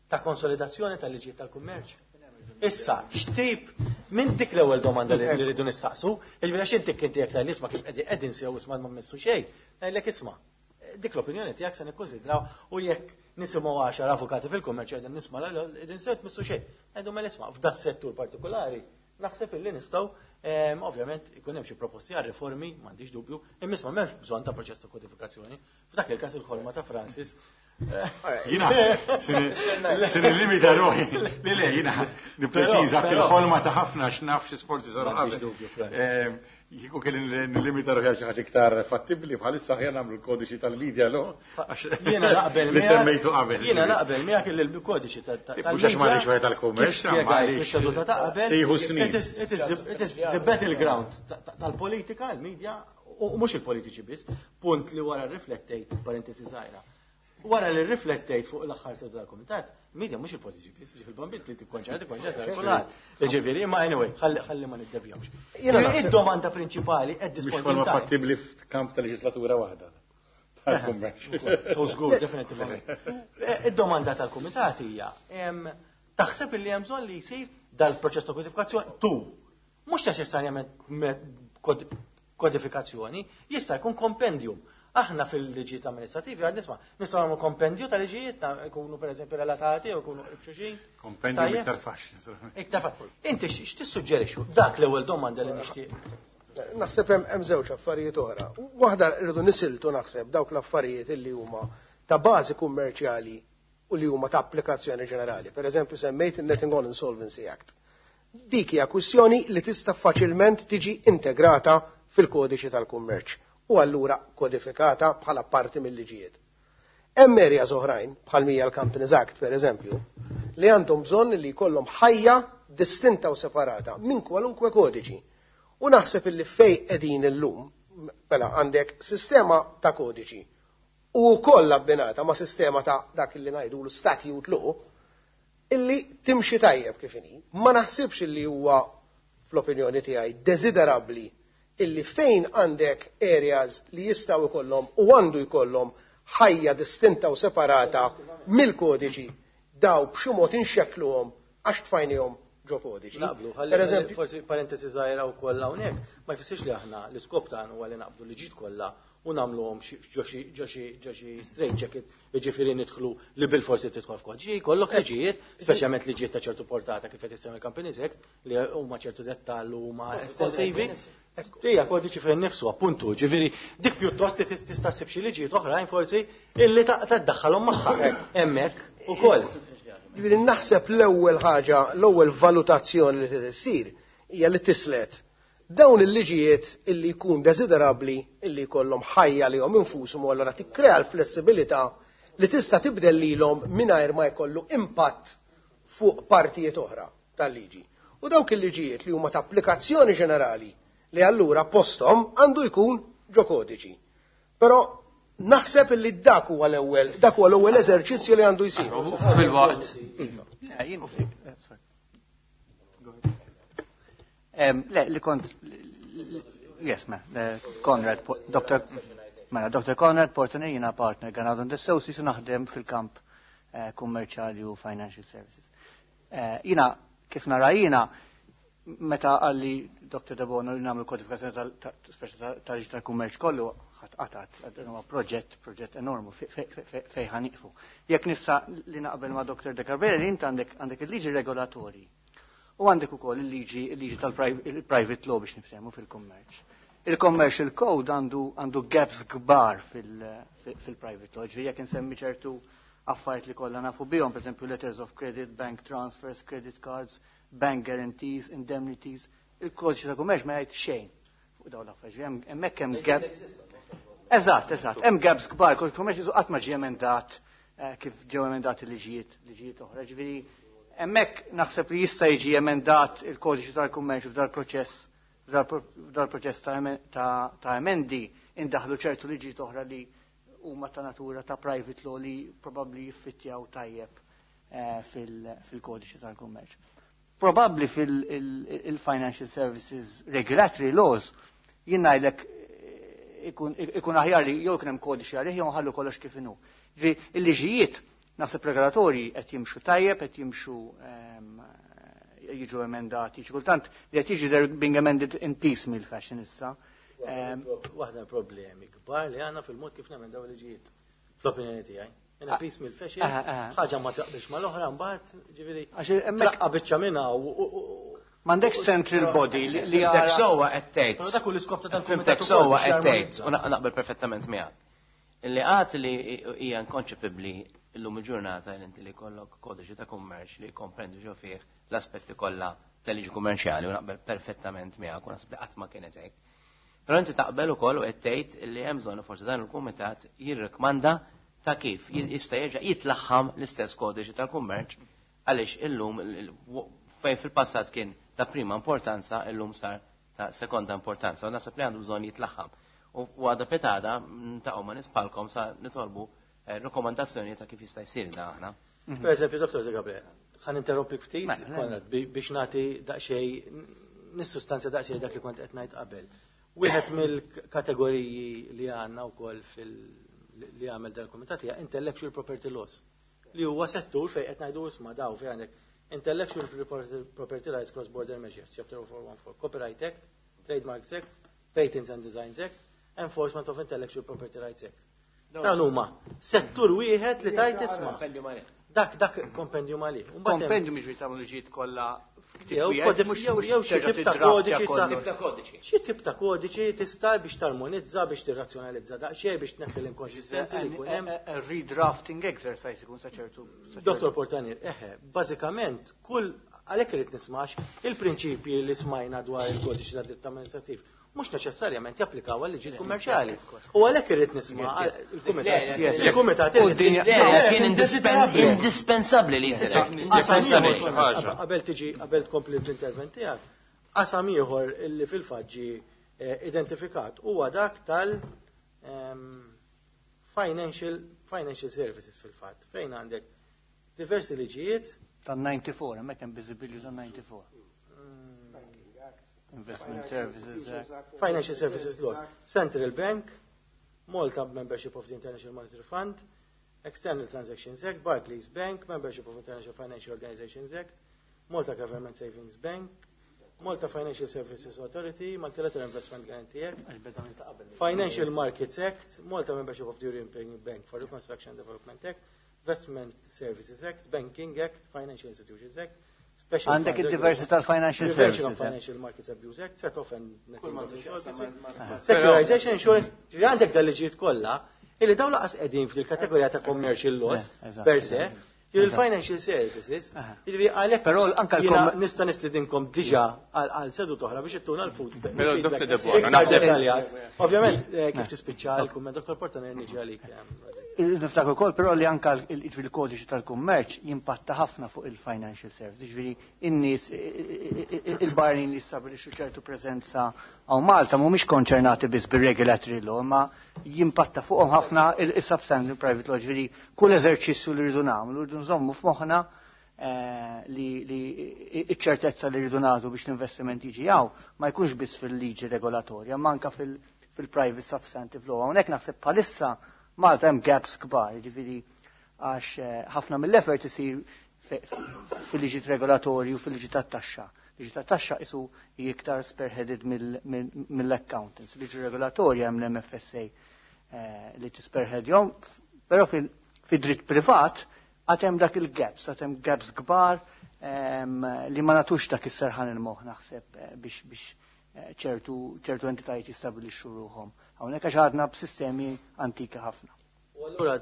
ta' konsolidazzjoni tal-liġijiet tal-kummerċ? Issa, x'tip minn dik l-ewwel domanda li rridu nistaqsu, jiġifieri għax inti inti jekk tgħid isma' kif qegħdin sew isma' ma mmissu xejn, ngħidlek isma' dik l-opinjoni tiegħek se nikkonsidraw u jekk nisimgħu għaxar avukati fil-kummerċ qegħdin nisma' qegħdin sew tmissu xejn. Ngħidu mela isma' f'da settur partikolari naħseb illi nistgħu ovvjament ikun hemm xi proposti għal riformi, m'għandix dubju, imma isma' m'hemmx bżonn ta' proċess ta' kodifikazzjoni. F'dak il-każ il-ħolma ta' Francis. Jiena, se nillimita ruħi. Le, le, jiena nippreċiża fil-ħolma ta' ħafna x'naf xi sforzi saru qabel. Kieku kelli nillimita ruħi għal xi ħaġa iktar fattibbli bħalissa aħjar nagħmlu l-kodiċi tal-media lo. Jiena naqbel li semmejtu qabel. Jiena naqbel miegħek il-kodiċi tal-media. Mhux għax m'għandix wieħed tal-kummerċ, fix-seduta ta' qabel. Sejħu snin. It is the battleground tal-politika, il-media, u mhux il-politiċi biss, punt li wara riflettejt, parentesi żgħira. Wara li riflettejt fuq l-aħħar seduta tal-kumitat, media mhux il-politiċi biss, biex il-bambin tikkonċerta, tikkonċerta kulħadd. Jiġifieri, imma anyway, ħalli ma niddevjawx. Id-domanda prinċipali qed Mhux forma fattibbli f'kamp ta' leġislatura waħda. Tal-kummerċ. Żgur, definitivament. Id-domanda tal-kumitat hija, taħseb li hemm bżonn li jsir dal-proċess ta' kodifikazzjoni tu. Mhux neċessarjament kodifikazzjoni, jista' jkun kompendium. Aħna fil-liġijiet amministrativi għad nisma' nistgħu nagħmlu kompendju ta' liġijiet jkunu pereżempju relatati jew jkunu xulxin. Kompendju iktar faċli. Iktar faċli. Inti x'tissuġġerixxu? Dak l-ewwel domanda li nixtieq. Naħseb hemm żewġ affarijiet oħra. Waħda rridu nisiltu naħseb dawk l-affarijiet illi huma ta' bażi kummerċjali u li huma ta' applikazzjoni ġenerali. Per eżempju semmejt il-Netting on Insolvency Act. Dik hija kwistjoni li tista' faċilment tiġi integrata fil-kodiċi tal-kummerċ u allura kodifikata bħala parti mill-liġijiet. Hemm areas oħrajn, bħal mija l-Companies Act per eżempju, li għandhom bżonn li jkollhom ħajja distinta u separata minn kwalunkwe kodiċi. U naħseb illi fej qegħdin illum, mela għandek sistema ta' kodiċi u wkoll abbinata ma' sistema ta' dak li ngħidulu statute law illi timxi tajjeb kif inhi. Ma naħsibx illi huwa fl-opinjoni tiegħi desiderabbli illi fejn għandek areas li jistaw ikollhom u għandu jkollhom ħajja distinta u separata mill-kodiċi daw b'xi mod inxekkluhom għax tfajnihom ġo kodiċi. Naqblu, ħalli forsi parentesi żgħira wkoll hawnhekk, ma jfissirx li aħna l-iskop tagħna huwa li naqbdu liġijiet kollha u nagħmluhom ġo xi straight jacket, jiġifieri nidħlu li bil-forsi tidħol f'kodiċi, jkollok liġijiet, speċjalment liġijiet ta' ċertu portata kif qed issemmi Companies Act li huma ċertu dettall u huma estensivi. Hija kodiċi fejn nifsu, appuntu, ġifieri dik pjuttost tista' ssib xi liġijiet oħrajn forsi illi taddaħħalhom magħha hemmhekk ukoll. Ġifieri naħseb l-ewwel ħaġa, l-ewwel valutazzjoni li trid issir hija li tislet dawn il-liġijiet illi jkun desiderabbli illi jkollhom ħajja lihom infushom u allura tikkrea l-flessibilità li tista' tibdel lilhom mingħajr ma jkollu impatt fuq partijiet oħra tal-liġi. U dawk il-liġijiet li huma ta' applikazzjoni ġenerali li allura postom għandu jkun ġo kodiċi. Però naħseb illi dak huwa l-ewwel, dak huwa l-ewwel eżerċizzju li għandu jsir. Fil-waqt. Le, li kont, yes, ma, Conrad, Doctor Mela, Doctor Conrad Portner, jiena partner Ganado and Associates, naħdem fil-kamp kummerċjali u financial services. Jiena, kif nara jiena, meta għalli Doctor Debono li nagħmlu kodifikazzjoni tal-liġi tal-kummerċ kollu, ħadd dan huwa proġett, proġett enormu fejn ħaniqfu. Jekk nista' li naqbel ma' Doctor De Gabriele li int għandek għandek il-liġi regolatorji. U għandek ukoll il-liġi il-liġi tal-private law biex niftehmu fil-kummerċ. Il-commercial code għandu għandu gaps kbar fil-private law, ġifieri jekk insemmi ċertu affarijiet li kollha nafu bihom, pereżempju letters of credit, bank transfers, credit cards, bank guarantees, indemnities, il-kodiċi ta' kummerċ ma jgħid xejn fuq dawn l-affarijiet. Hemmhekk hemm gap. Eżatt, eżatt, hemm gaps kbar, kodiċi kummerċ qatt ma ġie emendat eh, kif ġew emendati liġijiet liġijiet oħra. Ġifieri hemmhekk naħseb li jista' jiġi emendat il-kodiċi tal-kummerċ f'dal-proċess f'dal-proċess ta' emendi indaħlu ċertu liġijiet oħra li huma ta' natura ta' private law li probabbli jiffittjaw tajjeb eh, fil-kodiċi tal-kummerċ. Probabbli fil-financial services regulatory laws jien ngħidlek eh, ikun aħjar li jew kien hemm kodiċi għalih jew nħallu kollox kif inhu. Il-liġijiet naħseb regolatorji qed jimxu tajjeb, qed jimxu ehm, jiġu emendati, xi kultant li qed jiġu they're being amended in piecemeal fashion issa. Ehm, Waħda problemi kbar li għandna fil-mod kif nagħmel dawn liġijiet fl-opinjoni tiegħi. In a piecemeal fashion, ħaġa ma taqbilx mal-oħra mbagħad, ġifieri tlaqqa biċċa minnha u M'għandekx central body li Fhimtek sewwa qed tgħid. Però dak hu l-iskop ta' Fhimtek sewwa qed tgħid u naqbel perfettament miegħek. Illi għat li hija inkonċepibbli illum il-ġurnata li inti li jkollok kodiċi ta' kummerċ li jkomprendi ġo fih l-aspetti kollha tal-liġi kummerċjali u naqbel perfettament miegħek u naħseb li qatt ma kienet hekk. Però inti taqbel ukoll u qed tgħid li hemm bżonn forsi dan il-kumitat jirrikmanda ta' kif jista' jerġa' jitlaħħam l-istess kodiċi tal-kummerċ għaliex illum fejn fil-passat kien ta' prima importanza illum sar ta' sekonda importanza u naħseb li għandu bżonn jitlaħħam. U għada pitgħada ta' ma nispalkom sa nitolbu eh, rekomandazzjoni ta' kif jista' jsir da aħna. Mhm. Per eżempju, Dottor Gabriel, ħa ninterrompik ftit, mela, biex nagħti daqsxejn nissustanzja daqsxejn dak li kont qed ngħid qabel. Wieħed mill-kategoriji li għandna wkoll fil li għamel dal-kumitat hija intellectual property laws li huwa settur fejn qed ngħidu isma' daw fejn għandek Intellectual Property Rights Cross Border Measures, Chapter four one four, Copyright Act, Trademarks Act, Patents and Designs Act, Enforcement of Intellectual Property Rights Act. Dan huma settur wieħed li tajt isma'. Dak dak kompendium għalih. Kompendium mhix tagħmlu liġijiet kollha. Jew jew xi tip ta' kodiċi sa xi tip ta' kodiċi tista' biex tarmonizza, biex tirrazzjonalizza daqsxejn, biex tneħħi l-inkonsistenzi li jkun hemm. Redrafting exercise ikun sa ċertu. Dottor Portanier, eħe, bażikament kull għalhekk irid nismax il-prinċipji li smajna dwar il-kodiċi ta' dritt amministrattiv mhux neċessarjament japplikaw għal liġi kummerċjali. U għalhekk irrid nisma' il-kumitat. Il-kumitat kien indispensabbli li jsir. Qabel tiġi qabel tkompli l-intervent tiegħek, qasam ieħor illi fil-fatt ġie eh, identifikat huwa dak tal ehm, financial financial services fil-fatt fejn għandek diversi liġijiet. Tan-disgħa u disgħin, hemmhekk hemm biżibilju tan-disgħa u disgħin. Investment Services Act. Financial Services Laws. Central Bank, Malta Membership of the International Monetary Fund, External Transactions Act, Barclays Bank, Membership of International Financial Organizations Act, Malta Government Savings Bank, Malta Financial Services Authority, Multilateral Investment Guarantee Act, Financial Markets Act, Malta Membership of the European Bank for Reconstruction and Development Act, Investment Services Act, Banking Act, Financial Institutions Act, Għandek id-diversi tal-Financial Services. Financial Markets Abuse Act, Set Off and Securitization Insurance, għandek dal-liġijiet kollha, illi dawn lanqas qegħdin fil-kategorija ta' commercial laws per se, il-financial services, jiġifieri għalhekk Però anka nista' nistidinkom diġà għal seduta oħra biex ittuna l-food. Però Dottor Debono, naħseb Ovvjament, eh, kif tispiċċa l-kumment, Dottor Portanier, niġi għalik. Niftakru wkoll però li anka il-kodiċi tal-kummerċ jimpatta ħafna fuq il-financial services, ġifieri in-nies il-barranin li jistabilixxu ċertu preżenza hawn Malta mhumiex konċernati biss bir-regulatory law, ma jimpatta fuqhom ħafna il-substantive private law, ġifieri kull eżerċizzju li rridu nagħmlu rridu nżommu f'moħħna eh, li iċ-ċertezza li rridu nagħtu biex l-investiment jiġi hawn ma jkunx biss fil-liġi regolatorja, ma anka fil-private substantive law. Hawnhekk naħseb bħalissa Malta hemm gaps kbar, ġifieri għax eh, ħafna mill-effort isir fil-liġi regolatorju u fil-liġi tat-taxxa. Liġi tat-taxxa isu iktar spearheaded mill-accountants. Liġi regolatorja hemm l-M F S A eh, li tispearheadjhom, però fil-dritt privat għad hemm dak il-gaps, għad hemm gaps kbar. li ma nagħtux dak is-serħan il-moħħ naħseb eh, biex biex eh, ċertu ċertu entitajiet jistabilixxu ruħhom. Hawnhekk għax għadna b'sistemi antiki ħafna. U allura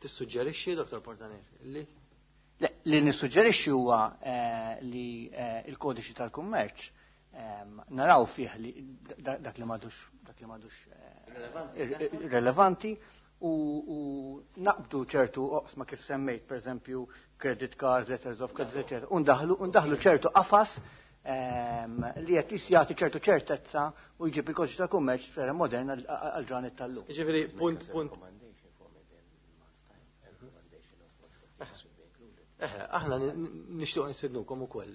tissuġġerixxi, Dottor Portanier, li Le, li nissuġġerixxi huwa eh, li il-kodiċi tal-kummerċ naraw fih li dak li m'għadux dak li m'għadux relevanti u, u naqbdu ċertu oqsma kif semmejt, per eżempju, credit cards, letters of credit, eccetera, undaħlu, undaħlu ċertu qafas ehm, li qed jagħti ċertu ċertezza u jġib il-kodiċi ta' kummerċ f'era moderna għal ġranet tal-lum. Jiġifieri punt punt. Eh, aħna nixtieq nistednukom ukoll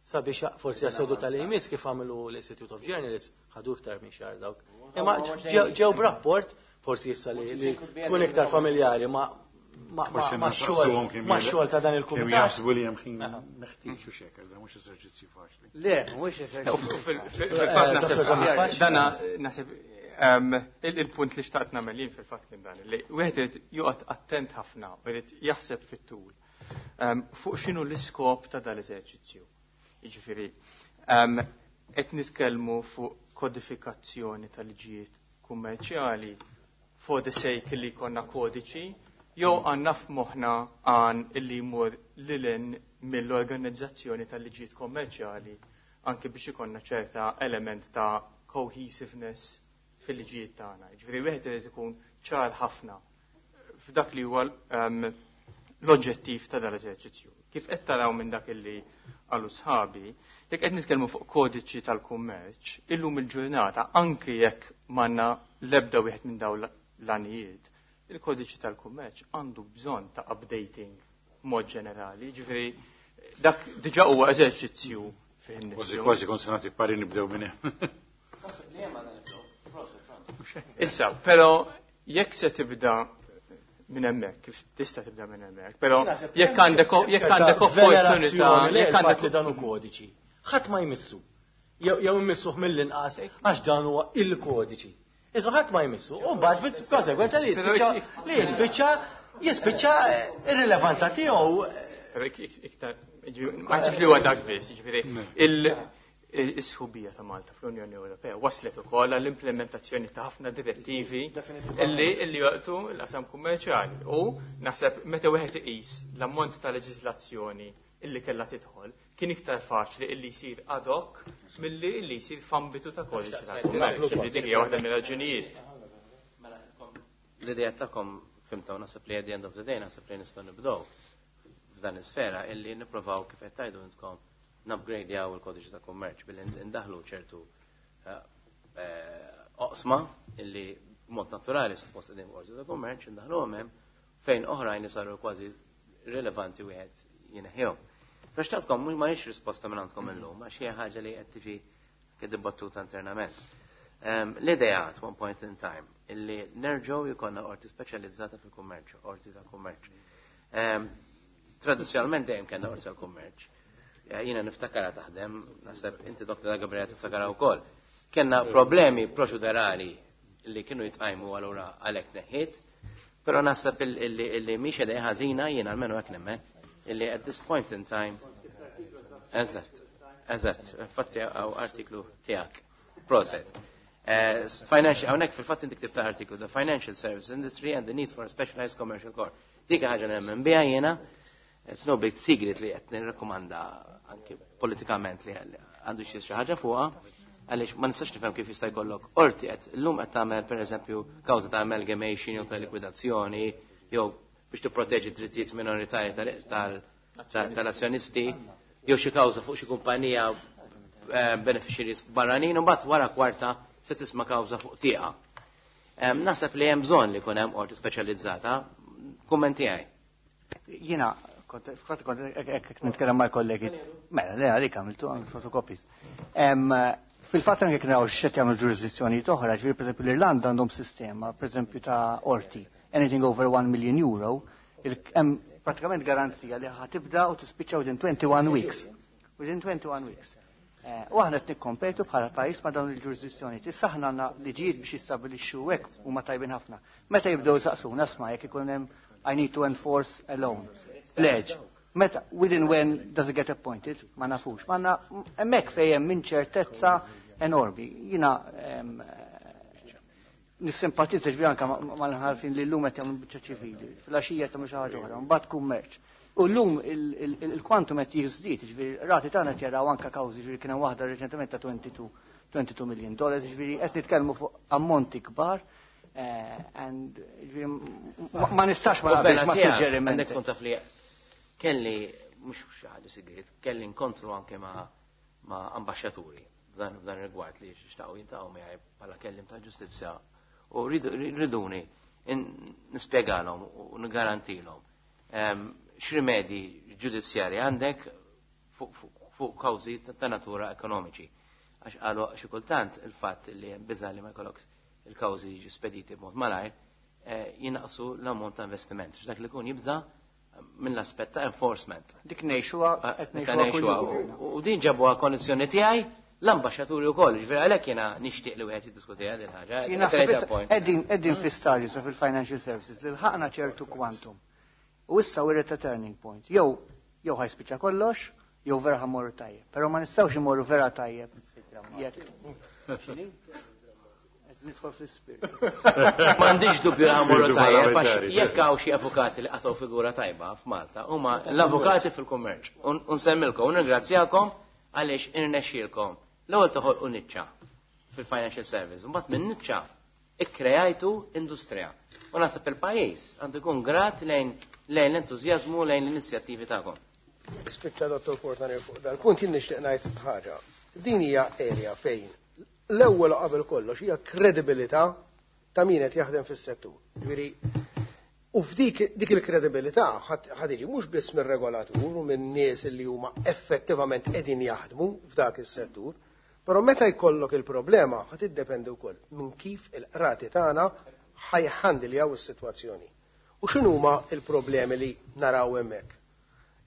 sabiex forsi għas-seduta tal-imis kif għamlu l-Institute of Journalists ħadu iktar minn xahar dawk. Imma ġew b'rapport forsi issa li tkun iktar familjari ma' ma' xogħol ma' xogħol ta' dan il-kumitat. Kemm jaħsbu li hemm ħin meħtieġ u xekk, iżda mhux eżerċizzju faċli. Le, mhux eżerċizzju. Fil-fatt naħseb dana naħseb il-punt li xtaqt nagħmel jien fil-fatt kien dan li wieħed irid joqgħod attent ħafna u jrid jaħseb fit-tul fuq x'inhu l-iskop ta' dal-eżerċizzju. Jiġifieri qed nitkellmu fuq kodifikazzjoni tal-liġijiet kummerċjali for the sake li jkollna kodiċi, jew għandna f'moħħna għan illi jmur lilin mill-organizzazzjoni tal-liġijiet kommerċjali anke biex ikollna ċerta element ta' cohesiveness fil-liġijiet tagħna. Jiġifieri wieħed irid ikun ċar ħafna f'dak li huwa l-oġġettiv ta' dal-eżerċizzju. Kif qed taraw minn dak illi qalu sħabi, jekk qed nitkellmu fuq kodiċi tal-kummerċ, illum il-ġurnata anke jekk m'għandna l-ebda wieħed minn dawn l-għanijiet, il-kodiċi tal-kummerċ għandu bżonn ta' updating mod ġenerali, ġifieri dak diġà huwa eżerċizzju fih innifsu. Kważi kważi kont se nagħti pari nibdew minn hemm. Issa, però jekk se tibda minn hemmhekk, kif tista' tibda minn hemmhekk, però jekk għandek jekk għandek opportunità, jekk għandek li dan hu kodiċi, ħadd ma jmissu. Jew immissuh mill-inqas għax dan huwa il-kodiċi. Iżu ħadd ma jmissu, u mbagħad b'konsegwenza li jispiċċa li jispiċċa jispiċċa ir-rilevanza tiegħu. Iktar, ma ġifri li huwa dak biss, jiġifieri il-sħubija ta' Malta fl-Unjoni Ewropea waslet ukoll għall-implementazzjoni ta' ħafna direttivi illi illi jaqtu l-qasam kummerċjali. U naħseb meta wieħed iqis l-ammont ta' leġiżlazzjoni illi kellha tidħol, kien iktar faċli illi jsir ad hoc milli illi jsir f'ambitu ta' kodiċi tal-kummerċ. Dik hija waħda mir-raġunijiet. L-idea tagħkom fimtaw naħseb li at the end of the day naħseb li nistgħu nibdew f'dan is-sfera illi nipprovaw kif qed tgħidu intkom nupgradejaw il-kodiċi ta' kummerċ billi ndaħlu ċertu oqsma illi b'mod naturali suppost qegħdin f'kodiċi ta' kummerċ indaħluhom hemm fejn oħrajn li saru kważi rilevanti wieħed jineħħihom. Biex tagħtkom mhux m'għandix risposta minn għandkom illum għax hija ħaġa li qed tiġi dibattuta internament. L-idea at one point in time illi nerġgħu jkollna qorti speċjalizzata fil-kummerċ, qorti ta' kummerċ. Tradizzjonalment dejjem kellna qorti tal-kummerċ. Jiena niftakara taħdem, naħseb inti Doktor Gabriel tiftakara wkoll. Kellna problemi proċedurali li kienu jitqajmu allura għalhekk neħħiet, però naħseb illi mhix idea ħażina jiena almenu hekk nemmen illi at this point in time eżatt, eżatt, infatti hawn artiklu tiegħek. Proset. Financial, hawnhekk fil-fatt inti ktibt artiklu The Financial Service Industry and the Need for a Specialized Commercial Court. Dik ħaġa nemmen biha jiena, it's no big secret li qed nirrakkomanda anke politikament li għandu xi ħaġa fuqha, għaliex ma nistax nifhem kif jista' jkollok qorti qed illum qed tagħmel pereżempju kawża ta' amalgamation jew ta' likwidazzjoni jew biex tipproteġi drittijiet minoritarji tal-azzjonisti jew xi kawża fuq xi kumpanija beneficiaries barranin u mbagħad wara kwarta se tisma' kawża fuq tieqa. Naħseb li hemm bżonn li jkun hemm qorti speċjalizzata, kumment tiegħi. Jiena kont kont hekk nitkellem mal-kollegi. Mela, le għalik għamiltu għamil fotocopies. Fil-fatt anke naraw x'qed jagħmlu ġurisdizzjonijiet oħra, ġifieri pereżempju l-Irlanda għandhom sistema, pereżempju ta' qorti, anything over one million euro, hemm pratikament garanzija li ħa tibda u tispiċċa within twenty-one weeks. Within twenty-one weeks. U aħna qed nikkompetu bħala pajjiż ma' dawn il-ġurisdizzjonijiet. Issa aħna għandna liġijiet biex jistabbilixxu hekk huma tajbin ħafna. Meta jibdew saqsuna sma' jekk ikun hemm I need to enforce a loan. Pledge. Meta, within when does it get appointed? Ma nafux. Ma na, hemmhekk fejn hemm inċertezza enormi. Jiena nissimpatizza ġifieri anke mal-imħallfin li llum qed jagħmlu biċċa ċivili, fil-għaxija jagħmlu xi ħaġa oħra, mbagħad kummerċ. U llum il-kwantum qed jiżdied, ġifieri qrati tagħna qed jaraw anke kawżi, ġifieri kien hemm waħda reċentement ta' twenty-two million dollars, ġifieri qed nitkellmu fuq ammonti kbar. And ġifieri ma nistax ma naqbilx ma' suġġeriment. Għandek tkun taf li kelli mhux xi ħaġa sigriet, kelli inkontru anke ma' ma' ambaxxaturi f'dan rigward li xtaqu jiltaqgħu miegħi bħala kellim tal-ġustizzja u riduni nispjegalhom u nigarantilhom x'rimedji ġudizzjarji għandek fuq kawżi ta' natura ekonomiċi. Għax qalu xi kultant il-fatt li hemm biża' li ma jkollok il-kawżi jiġu spediti b'mod malajr jinaqsu l-ammont ta' investiment. X'dak li jkun jibża' mill-aspett ta' enforcement. Dik ngħixuha qed ngħixuha. U din ġabuha kondizzjoni tiegħi l-ambaxxaturi wkoll, ġifieri għalhekk jiena nixtieq li wieħed jiddiskutiha din ħaġa. Qegħdin qegħdin fi stadju sa fil-financial services li lħaqna ċertu quantum. U issa we're at a turning point. Jew jew ħajspiċċa kollox, jew vera ħammorru tajjeb. Però ma nistgħux imorru vera tajjeb. Nidħol fl-ispirtu. M'għandix dubju li ħammorru tajjeb għax jekk hawn xi avukati li qatgħu figura tajba f'Malta huma l-avukati fil-kummerċ. U nsemmilkom u nirringrazzjakom għaliex irnexxielkom. L-ewwel toħolqu niċċa fil-financial service, u mbagħad minn niċċa ikkrejajtu industrija. U naħseb il-pajjiż għandu jkun grat lejn lejn l-entużjażmu lejn l-inizjattivi tagħkom. Spiċċa Dottor Portanier fuq dal-punt jien nixtieq ngħid ħaġa. Din hija area fejn l-ewwel qabel kollox hija kredibilità ta' min qed jaħdem fis-settur. Ġifieri u f'dik dik il-kredibilità ħad iġi mhux biss mir-regolatur u minn nies li huma effettivament qegħdin jaħdmu f'dak is-settur, però meta jkollok il-problema ħad iddependi wkoll minn kif il-qrati tagħna ħajħandiljaw is-sitwazzjoni. U x'inhuma il-problemi li naraw hemmhekk?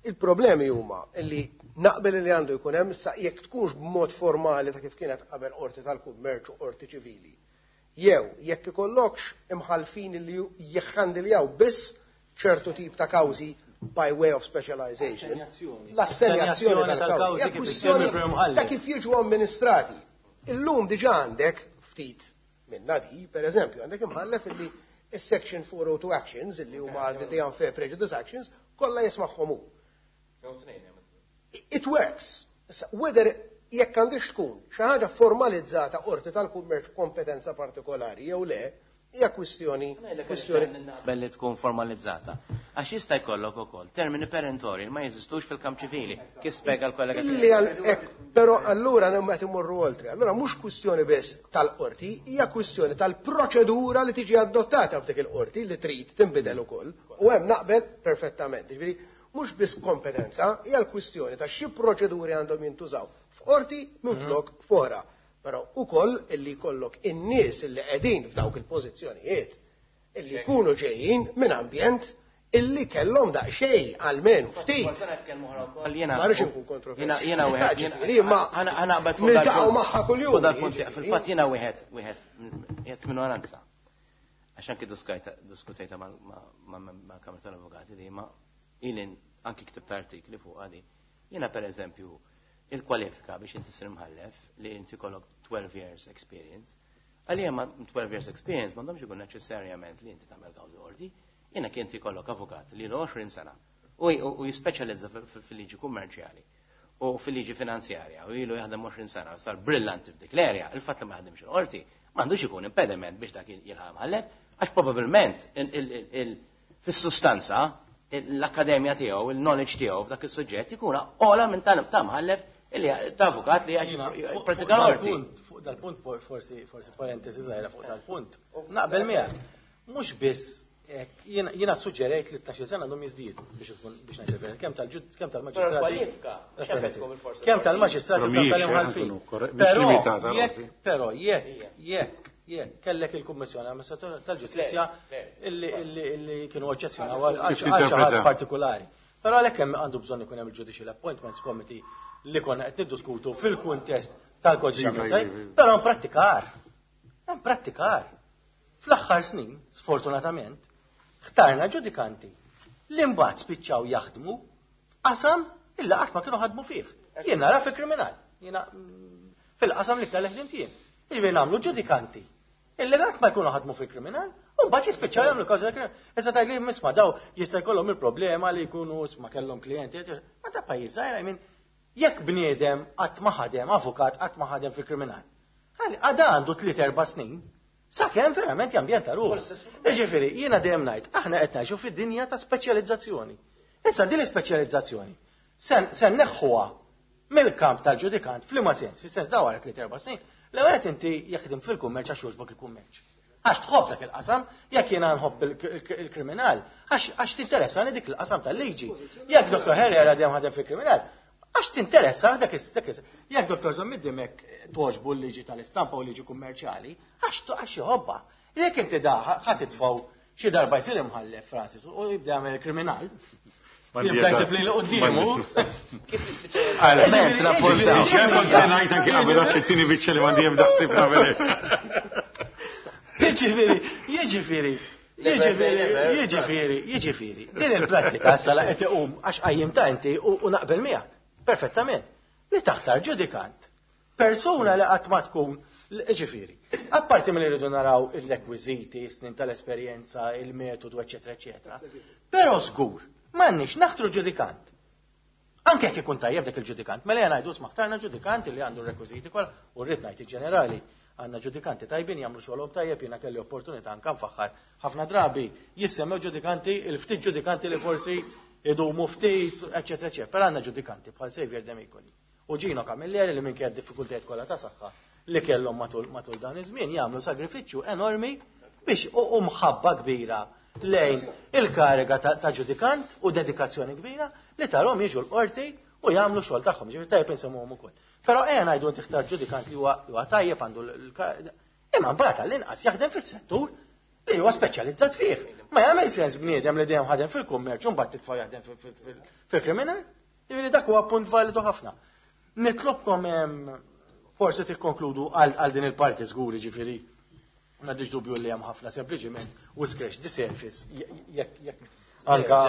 Il-problemi huma li naqbel li għandu jkun hemm sa jekk tkunx b'mod formali ta' kif kienet qabel qorti tal-kummerċ u qorti ċivili. Jew jekk ikollokx imħalfin li jħandiljaw biss ċertu tip ta' kawżi by way of specialization. L-assenjazzjoni tal-kawżi. Kwistjoni ta' kif jiġu amministrati. Illum diġà għandek ftit minna di, per eżempju, għandek imħallef illi is-section four oh two actions, illi huma the unfair prejudice actions, kollha jismagħhom hu. It works. Whether jekk għandix tkun xi ħaġa formalizzata qorti tal-kummerċ kompetenza partikolari jew le, hija kwistjoni kwistjoni belli tkun formalizzata. Għax jista' jkollok ukoll termini perentori ma jeżistux fil-kamp ċivili. Kif spjega l-kollega tiegħi? Però allura qed imorru oltre. Allura mhux kwistjoni biss tal-qorti, hija kwistjoni tal-proċedura li tiġi adottata f'dik il-qorti li trid tinbidel ukoll. U hemm naqbel perfettament. Ġifieri mhux biss kompetenza, hija l-kwistjoni ta' xi proċeduri għandhom jintużaw f'qorti minflok fora. Però ukoll illi jkollok in-nies illi qegħdin f'dawk il-pożizzjonijiet illi jkunu ġejjin minn ambjent illi kellhom daqsxejn għalmenu ftit. Ma rridx inkun kontroversjali. Jiena wieħed niltaqgħu magħha kuljum. Fil-fatt jiena wieħed wieħed qiegħed minoranza. Għax anke diskutejta ma' Kamra tal-Avukati li ma ilin anki ktibt artikli fuq għadi. Jiena per eżempju il-kwalifika biex inti sir mħallef li inti kollok twelve years experience. Għalija ma twelve years experience m'għandhomx ikun neċessarjament li inti tagħmel kawżi qorti. Jiena kien inti kollok avukat li ilu għoxrin sena u jispeċjalizza fil-liġi kummerċjali u fil-liġi finanzjarja u ilu jaħdem għoxrin sena u sar brillanti f'dik l-erja, il-fatt li ma jaħdimx il-qorti m'għandux ikun impediment biex dak jilħaq mħallef, għax probabbilment fis-sustanza l-akkademja tiegħu, il-knowledge tiegħu f'dak is-suġġett ikun ogħla minn ta' mħallef illi ta' avukat li għax pratika l-qorti. Fuq dal-punt forsi forsi parentesi żgħira fuq dal-punt. Naqbel miegħek. Mhux biss jiena suġġerejt li t-tnax-il sena għandhom jiżdiedu biex ikun biex ngħid kemm tal-ġud kemm tal-maġistrati. Kemm tal-maġistrati kemm tal-imħallfin. Però jekk jekk jekk kellek il-Kummissjoni Amministrazzjoni tal-Ġustizzja illi illi kienu oġġezzjonaw għal xi ħadd partikolari. Però għalhekk hemm għandu bżonn ikun hemm il-Judicial Appointments Committee li konna qed niddiskutu fil-kuntest tal-kodiċi amministrattiv, però imprattikar. Imprattikar. Fl-aħħar snin, sfortunatament, ħtarna ġudikanti li mbagħad spiċċaw jaħdmu Qasam illa qatt ma kienu ħadmu fih. Jien nara fil-kriminal, jiena fil-qasam li kellek ħdimt jien. Jiġifieri nagħmlu ġudikanti illi qatt ma jkunu ħadmu fil-kriminal, u mbagħad jispiċċaw jagħmlu kawża kriminal. Issa tgħid li misma' daw jista' jkollhom il-problema li jkunu ma kellhom klijenti, ma ta' pajjiż żgħir, I mean, jekk bniedem qatt ma ħadem, avukat qatt ma ħadem fil-kriminal. Għada għandu tliet erba' snin, sakemm verament jambjenta ruħu. Jiġifieri, jiena dejjem ngħid, aħna qed ngħixu fid-dinja ta' speċjalizzazzjoni. Issa din l-ispeċjalizzazzjoni se nneħħuha mill-kamp tal-ġudikant f'liema sens, fis-sens daw wara tliet erba' snin, l-ewwel qed inti jaħdem fil-kummerċ għax jogħġbok il-kummerċ. Għax tħobb dak il-qasam, jekk jiena nħobb il-kriminal, għax tinteressani dik il-qasam tal-liġi. Jekk Dottor Herrera dejjem ħadem fil-kriminal, għax tinteressa dak is Jekk Dottor Zammit Dimech toġbu l-liġi tal-istampa u l-liġi kummerċjali, għax għax jħobbha. Jekk inti da ħa titfgħu xi darba jsir imħallef Francis u jibda jagħmel il-kriminal. Jibda jsib li quddiemu. Kif nispiċċaw? Rapportaw. Kont se ngħid anke qabel dak it-tieni biċċa li m'għandi ebda ħsieb nagħmel hekk. Jiġifieri, jiġifieri, jiġifieri, jiġifieri, jiġifieri. Din il-prattika issa la qed iqum għax qajjim ta' inti u naqbel miegħek. Perfettament. Li taħtar ġudikant. Persuna li qatt ma tkun, ġifieri. Apparti mill rridu naraw il-rekwiżiti, snin tal-esperjenza, il-metodu, eċetera, eċetera. Però żgur, m'għandniex naħtru ġudikant. Anke jekk ikun tajjeb dak il-ġudikant, mela jena ngħidu smaħtarna ġudikant li għandu r-rekwiżiti kollha u rrid ngħid il-ġenerali għandna ġudikanti tajbin jagħmlu xogħolhom tajjeb, jiena kelli opportunità anke nfaħħar. Ħafna drabi jissemmew ġudikanti, il-ftit ġudikanti li forsi idumu ftit, eċetera, eċetera. Però għandna ġudikanti bħal Xavier Demicoli u Gino Camilleri li minkejja d-diffikultajiet kollha ta' saħħa li kellhom matul matul dan iż-żmien jagħmlu sagrifiċċju enormi biex u mħabba kbira lejn il-kariga ta' ġudikant u dedikazzjoni kbira li tarhom jiġu l-qorti u jagħmlu xogħol tagħhom, ġifieri tajjeb insemmuhom ukoll. Però ejja ngħidu inti ħtar ġudikant li huwa tajjeb għandu l imma mbagħad għall-inqas jaħdem fis-settur li huwa speċjalizzat fih. Ma jagħmel sens bniedem li dejjem ħadem fil-kummerċ u mbagħad titfa' jaħdem fil-kriminal. Jiġifieri dak huwa punt validu ħafna. Nitlobkom forsi tikkonkludu għal din il-parti żgur, ġifieri m'għandix dubju li hemm ħafna sempliċiment u scratch the surface jekk jekk anka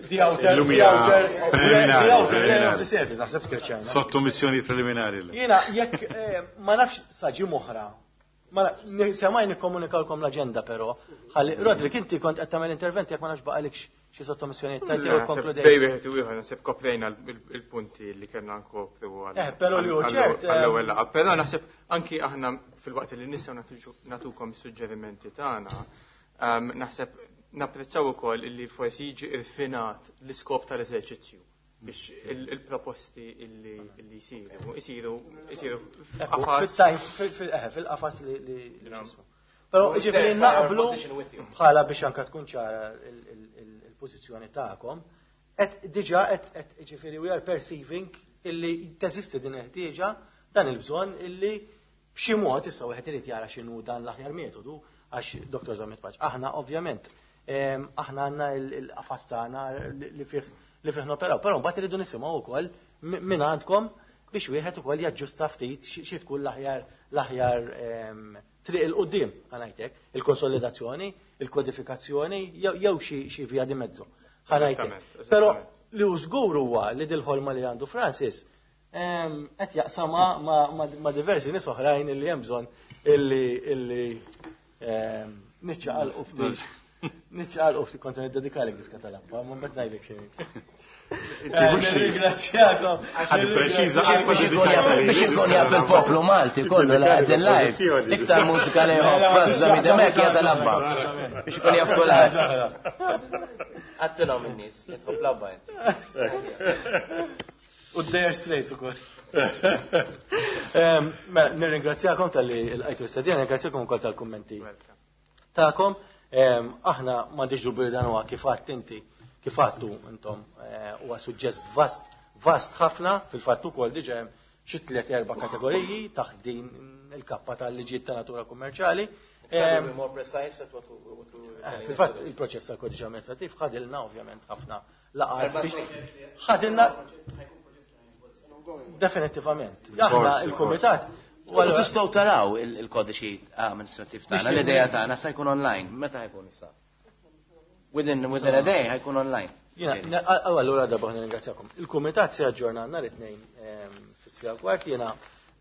the outer the outer the outer layer of the surface naħseb scratchajna. Sottomissjoni preliminari. Jiena jekk ma nafx saġi moħra ma semaj nikkomunikalkom l-aġenda però ħalli Rodrik inti kont qed tagħmel intervent jekk ma nafx baqalikx xi sottomissjonijiet tajt jew konkludejt. Bej wieħed u ieħor naħseb koprejna il-punti li kellna nkopru għal. Eh, però li hu ċert. Għall-ewwel laqgħa. Però naħseb anki aħna fil-waqt li nistgħu nagħtukom is-suġġerimenti tagħna, naħseb napprezzaw ukoll li forsi jiġi irfinat l-iskop tal-eżerċizzju biex il-proposti illi jsiru jsiru jsiru fil-qafas li Però ġifieri naqblu bħala biex anka tkun ċara il-pożizzjoni tagħkom, qed diġà qed ġifieri we are perceiving illi teżisti din il-ħtieġa dan il-bżonn illi b'xi mod issa wieħed irid jara x'inhu dan l-aħjar metodu għax Dottor Zammit Pace. Aħna ovvjament aħna għandna il-qafas tagħna li fih li fih noperaw, però mbagħad iridu nisimgħu wkoll minn għandkom biex wieħed ukoll jaġġusta ftit xi tkun l-aħjar l-aħjar triq il-qudiem ħanajtek, il-konsolidazzjoni, il-kodifikazzjoni, jew xi via di mezzo. Ħanajtek. Però li hu żgur huwa li dil-ħolma li għandu Francis qed jaqsama ma' diversi nies oħrajn illi hemm bżonn illi illi niċċaqalqu ftit. Niċċaqalqu ftit kont niddedikalek diska tal-abba, ma mbagħad ngħidlek xejn. Ringrazzjakom. Biex ikun jaf il-poplu Malti kollu la għadin live. Iktar mużika li jħobb Francis Zammit Dimech hija tal-abba. Biex ikun jaf kulħadd. Għattilhom in-nies li tħobb l-abba inti. U d-Dire Straits ukoll. Mela, nirringrazzjakom tal-li l-għajtu l-istadija, nirringrazzjakom ukoll tal-kummenti tagħkom. Aħna m'għandix dubju dan huwa kif għadt inti, kif għattu intom, huwa suġġest vast, vast ħafna, fil-fatt ukoll diġà hemm xi tliet erba' kategoriji taħt din il-kappa tal-liġijiet ta' natura kummerċjali. Fil-fatt il-proċess tal-kodiċi amministrattiv ħadilna ovvjament ħafna laqgħat biex ħadilna definitivament. Aħna il-kumitat. U tistgħu taraw il-kodiċi amministrattiv tagħna, l-idea tagħna sa jkun online. Meta ħajkun issa? Within, within a day ħajkun online. Jiena, allura darba nirringrazzjakom. Il-kumitat se jaġġorna nhar it-tnejn fis-siegħa kwart. Jiena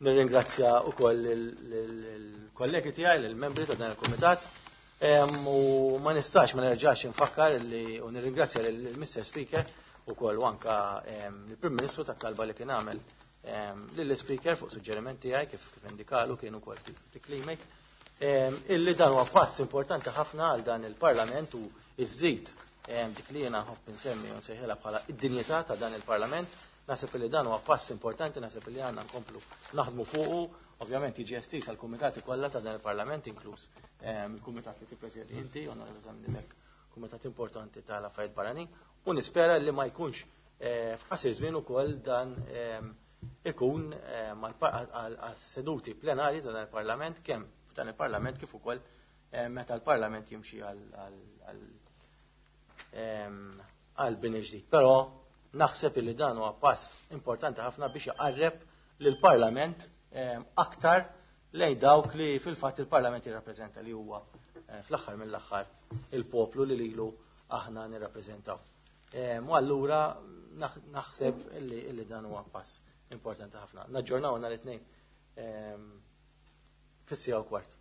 nirringrazzja wkoll il-kollegi tiegħi, il-membri ta' dan il-kumitat. U ma nistax ma nerġax infakkar li u nirringrazzja lill-Mister Speaker ukoll u anka l-Prim Ministru tat-talba li kien għamel lill-Speaker fuq suġġeriment tiegħi, kif kif indikalu kien ukoll tiklimek, illi dan huwa pass importanti ħafna għal dan il-Parlament u iżżid dik li jiena nħobb insemmi u nsejħilha bħala id-dinjità ta' dan il-Parlament. Naħseb li dan huwa pass importanti, naħseb li għandna nkomplu naħdmu fuqu. Ovvjament jiġi estiż għal kumitati kollha ta' dan il-Parlament, inkluż il-kumitat li tippresjedi inti, Onorevoli Zammit, kumitat importanti tal-affarijiet barranin, u nispera li ma jkunx f'qasir żmien ukoll dan ikun għas-seduti plenari ta' dan il-Parlament, kemm f'dan il-Parlament kif ukoll meta l-Parlament jimxi għal bini ġdid. Però naħseb li dan huwa pass importanti ħafna biex jaqarreb lill-Parlament aktar lejn dawk li fil-fatt il-Parlament jirrappreżenta, li huwa fl-aħħar mill-aħħar il-poplu li lilu aħna nirrappreżentaw. U allura naħseb illi dan huwa pass importanti ħafna. Naġġornaw nhar it-tnejn fis-siegħa u kwart.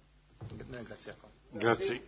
Nirringrazzjakom. Grazzi.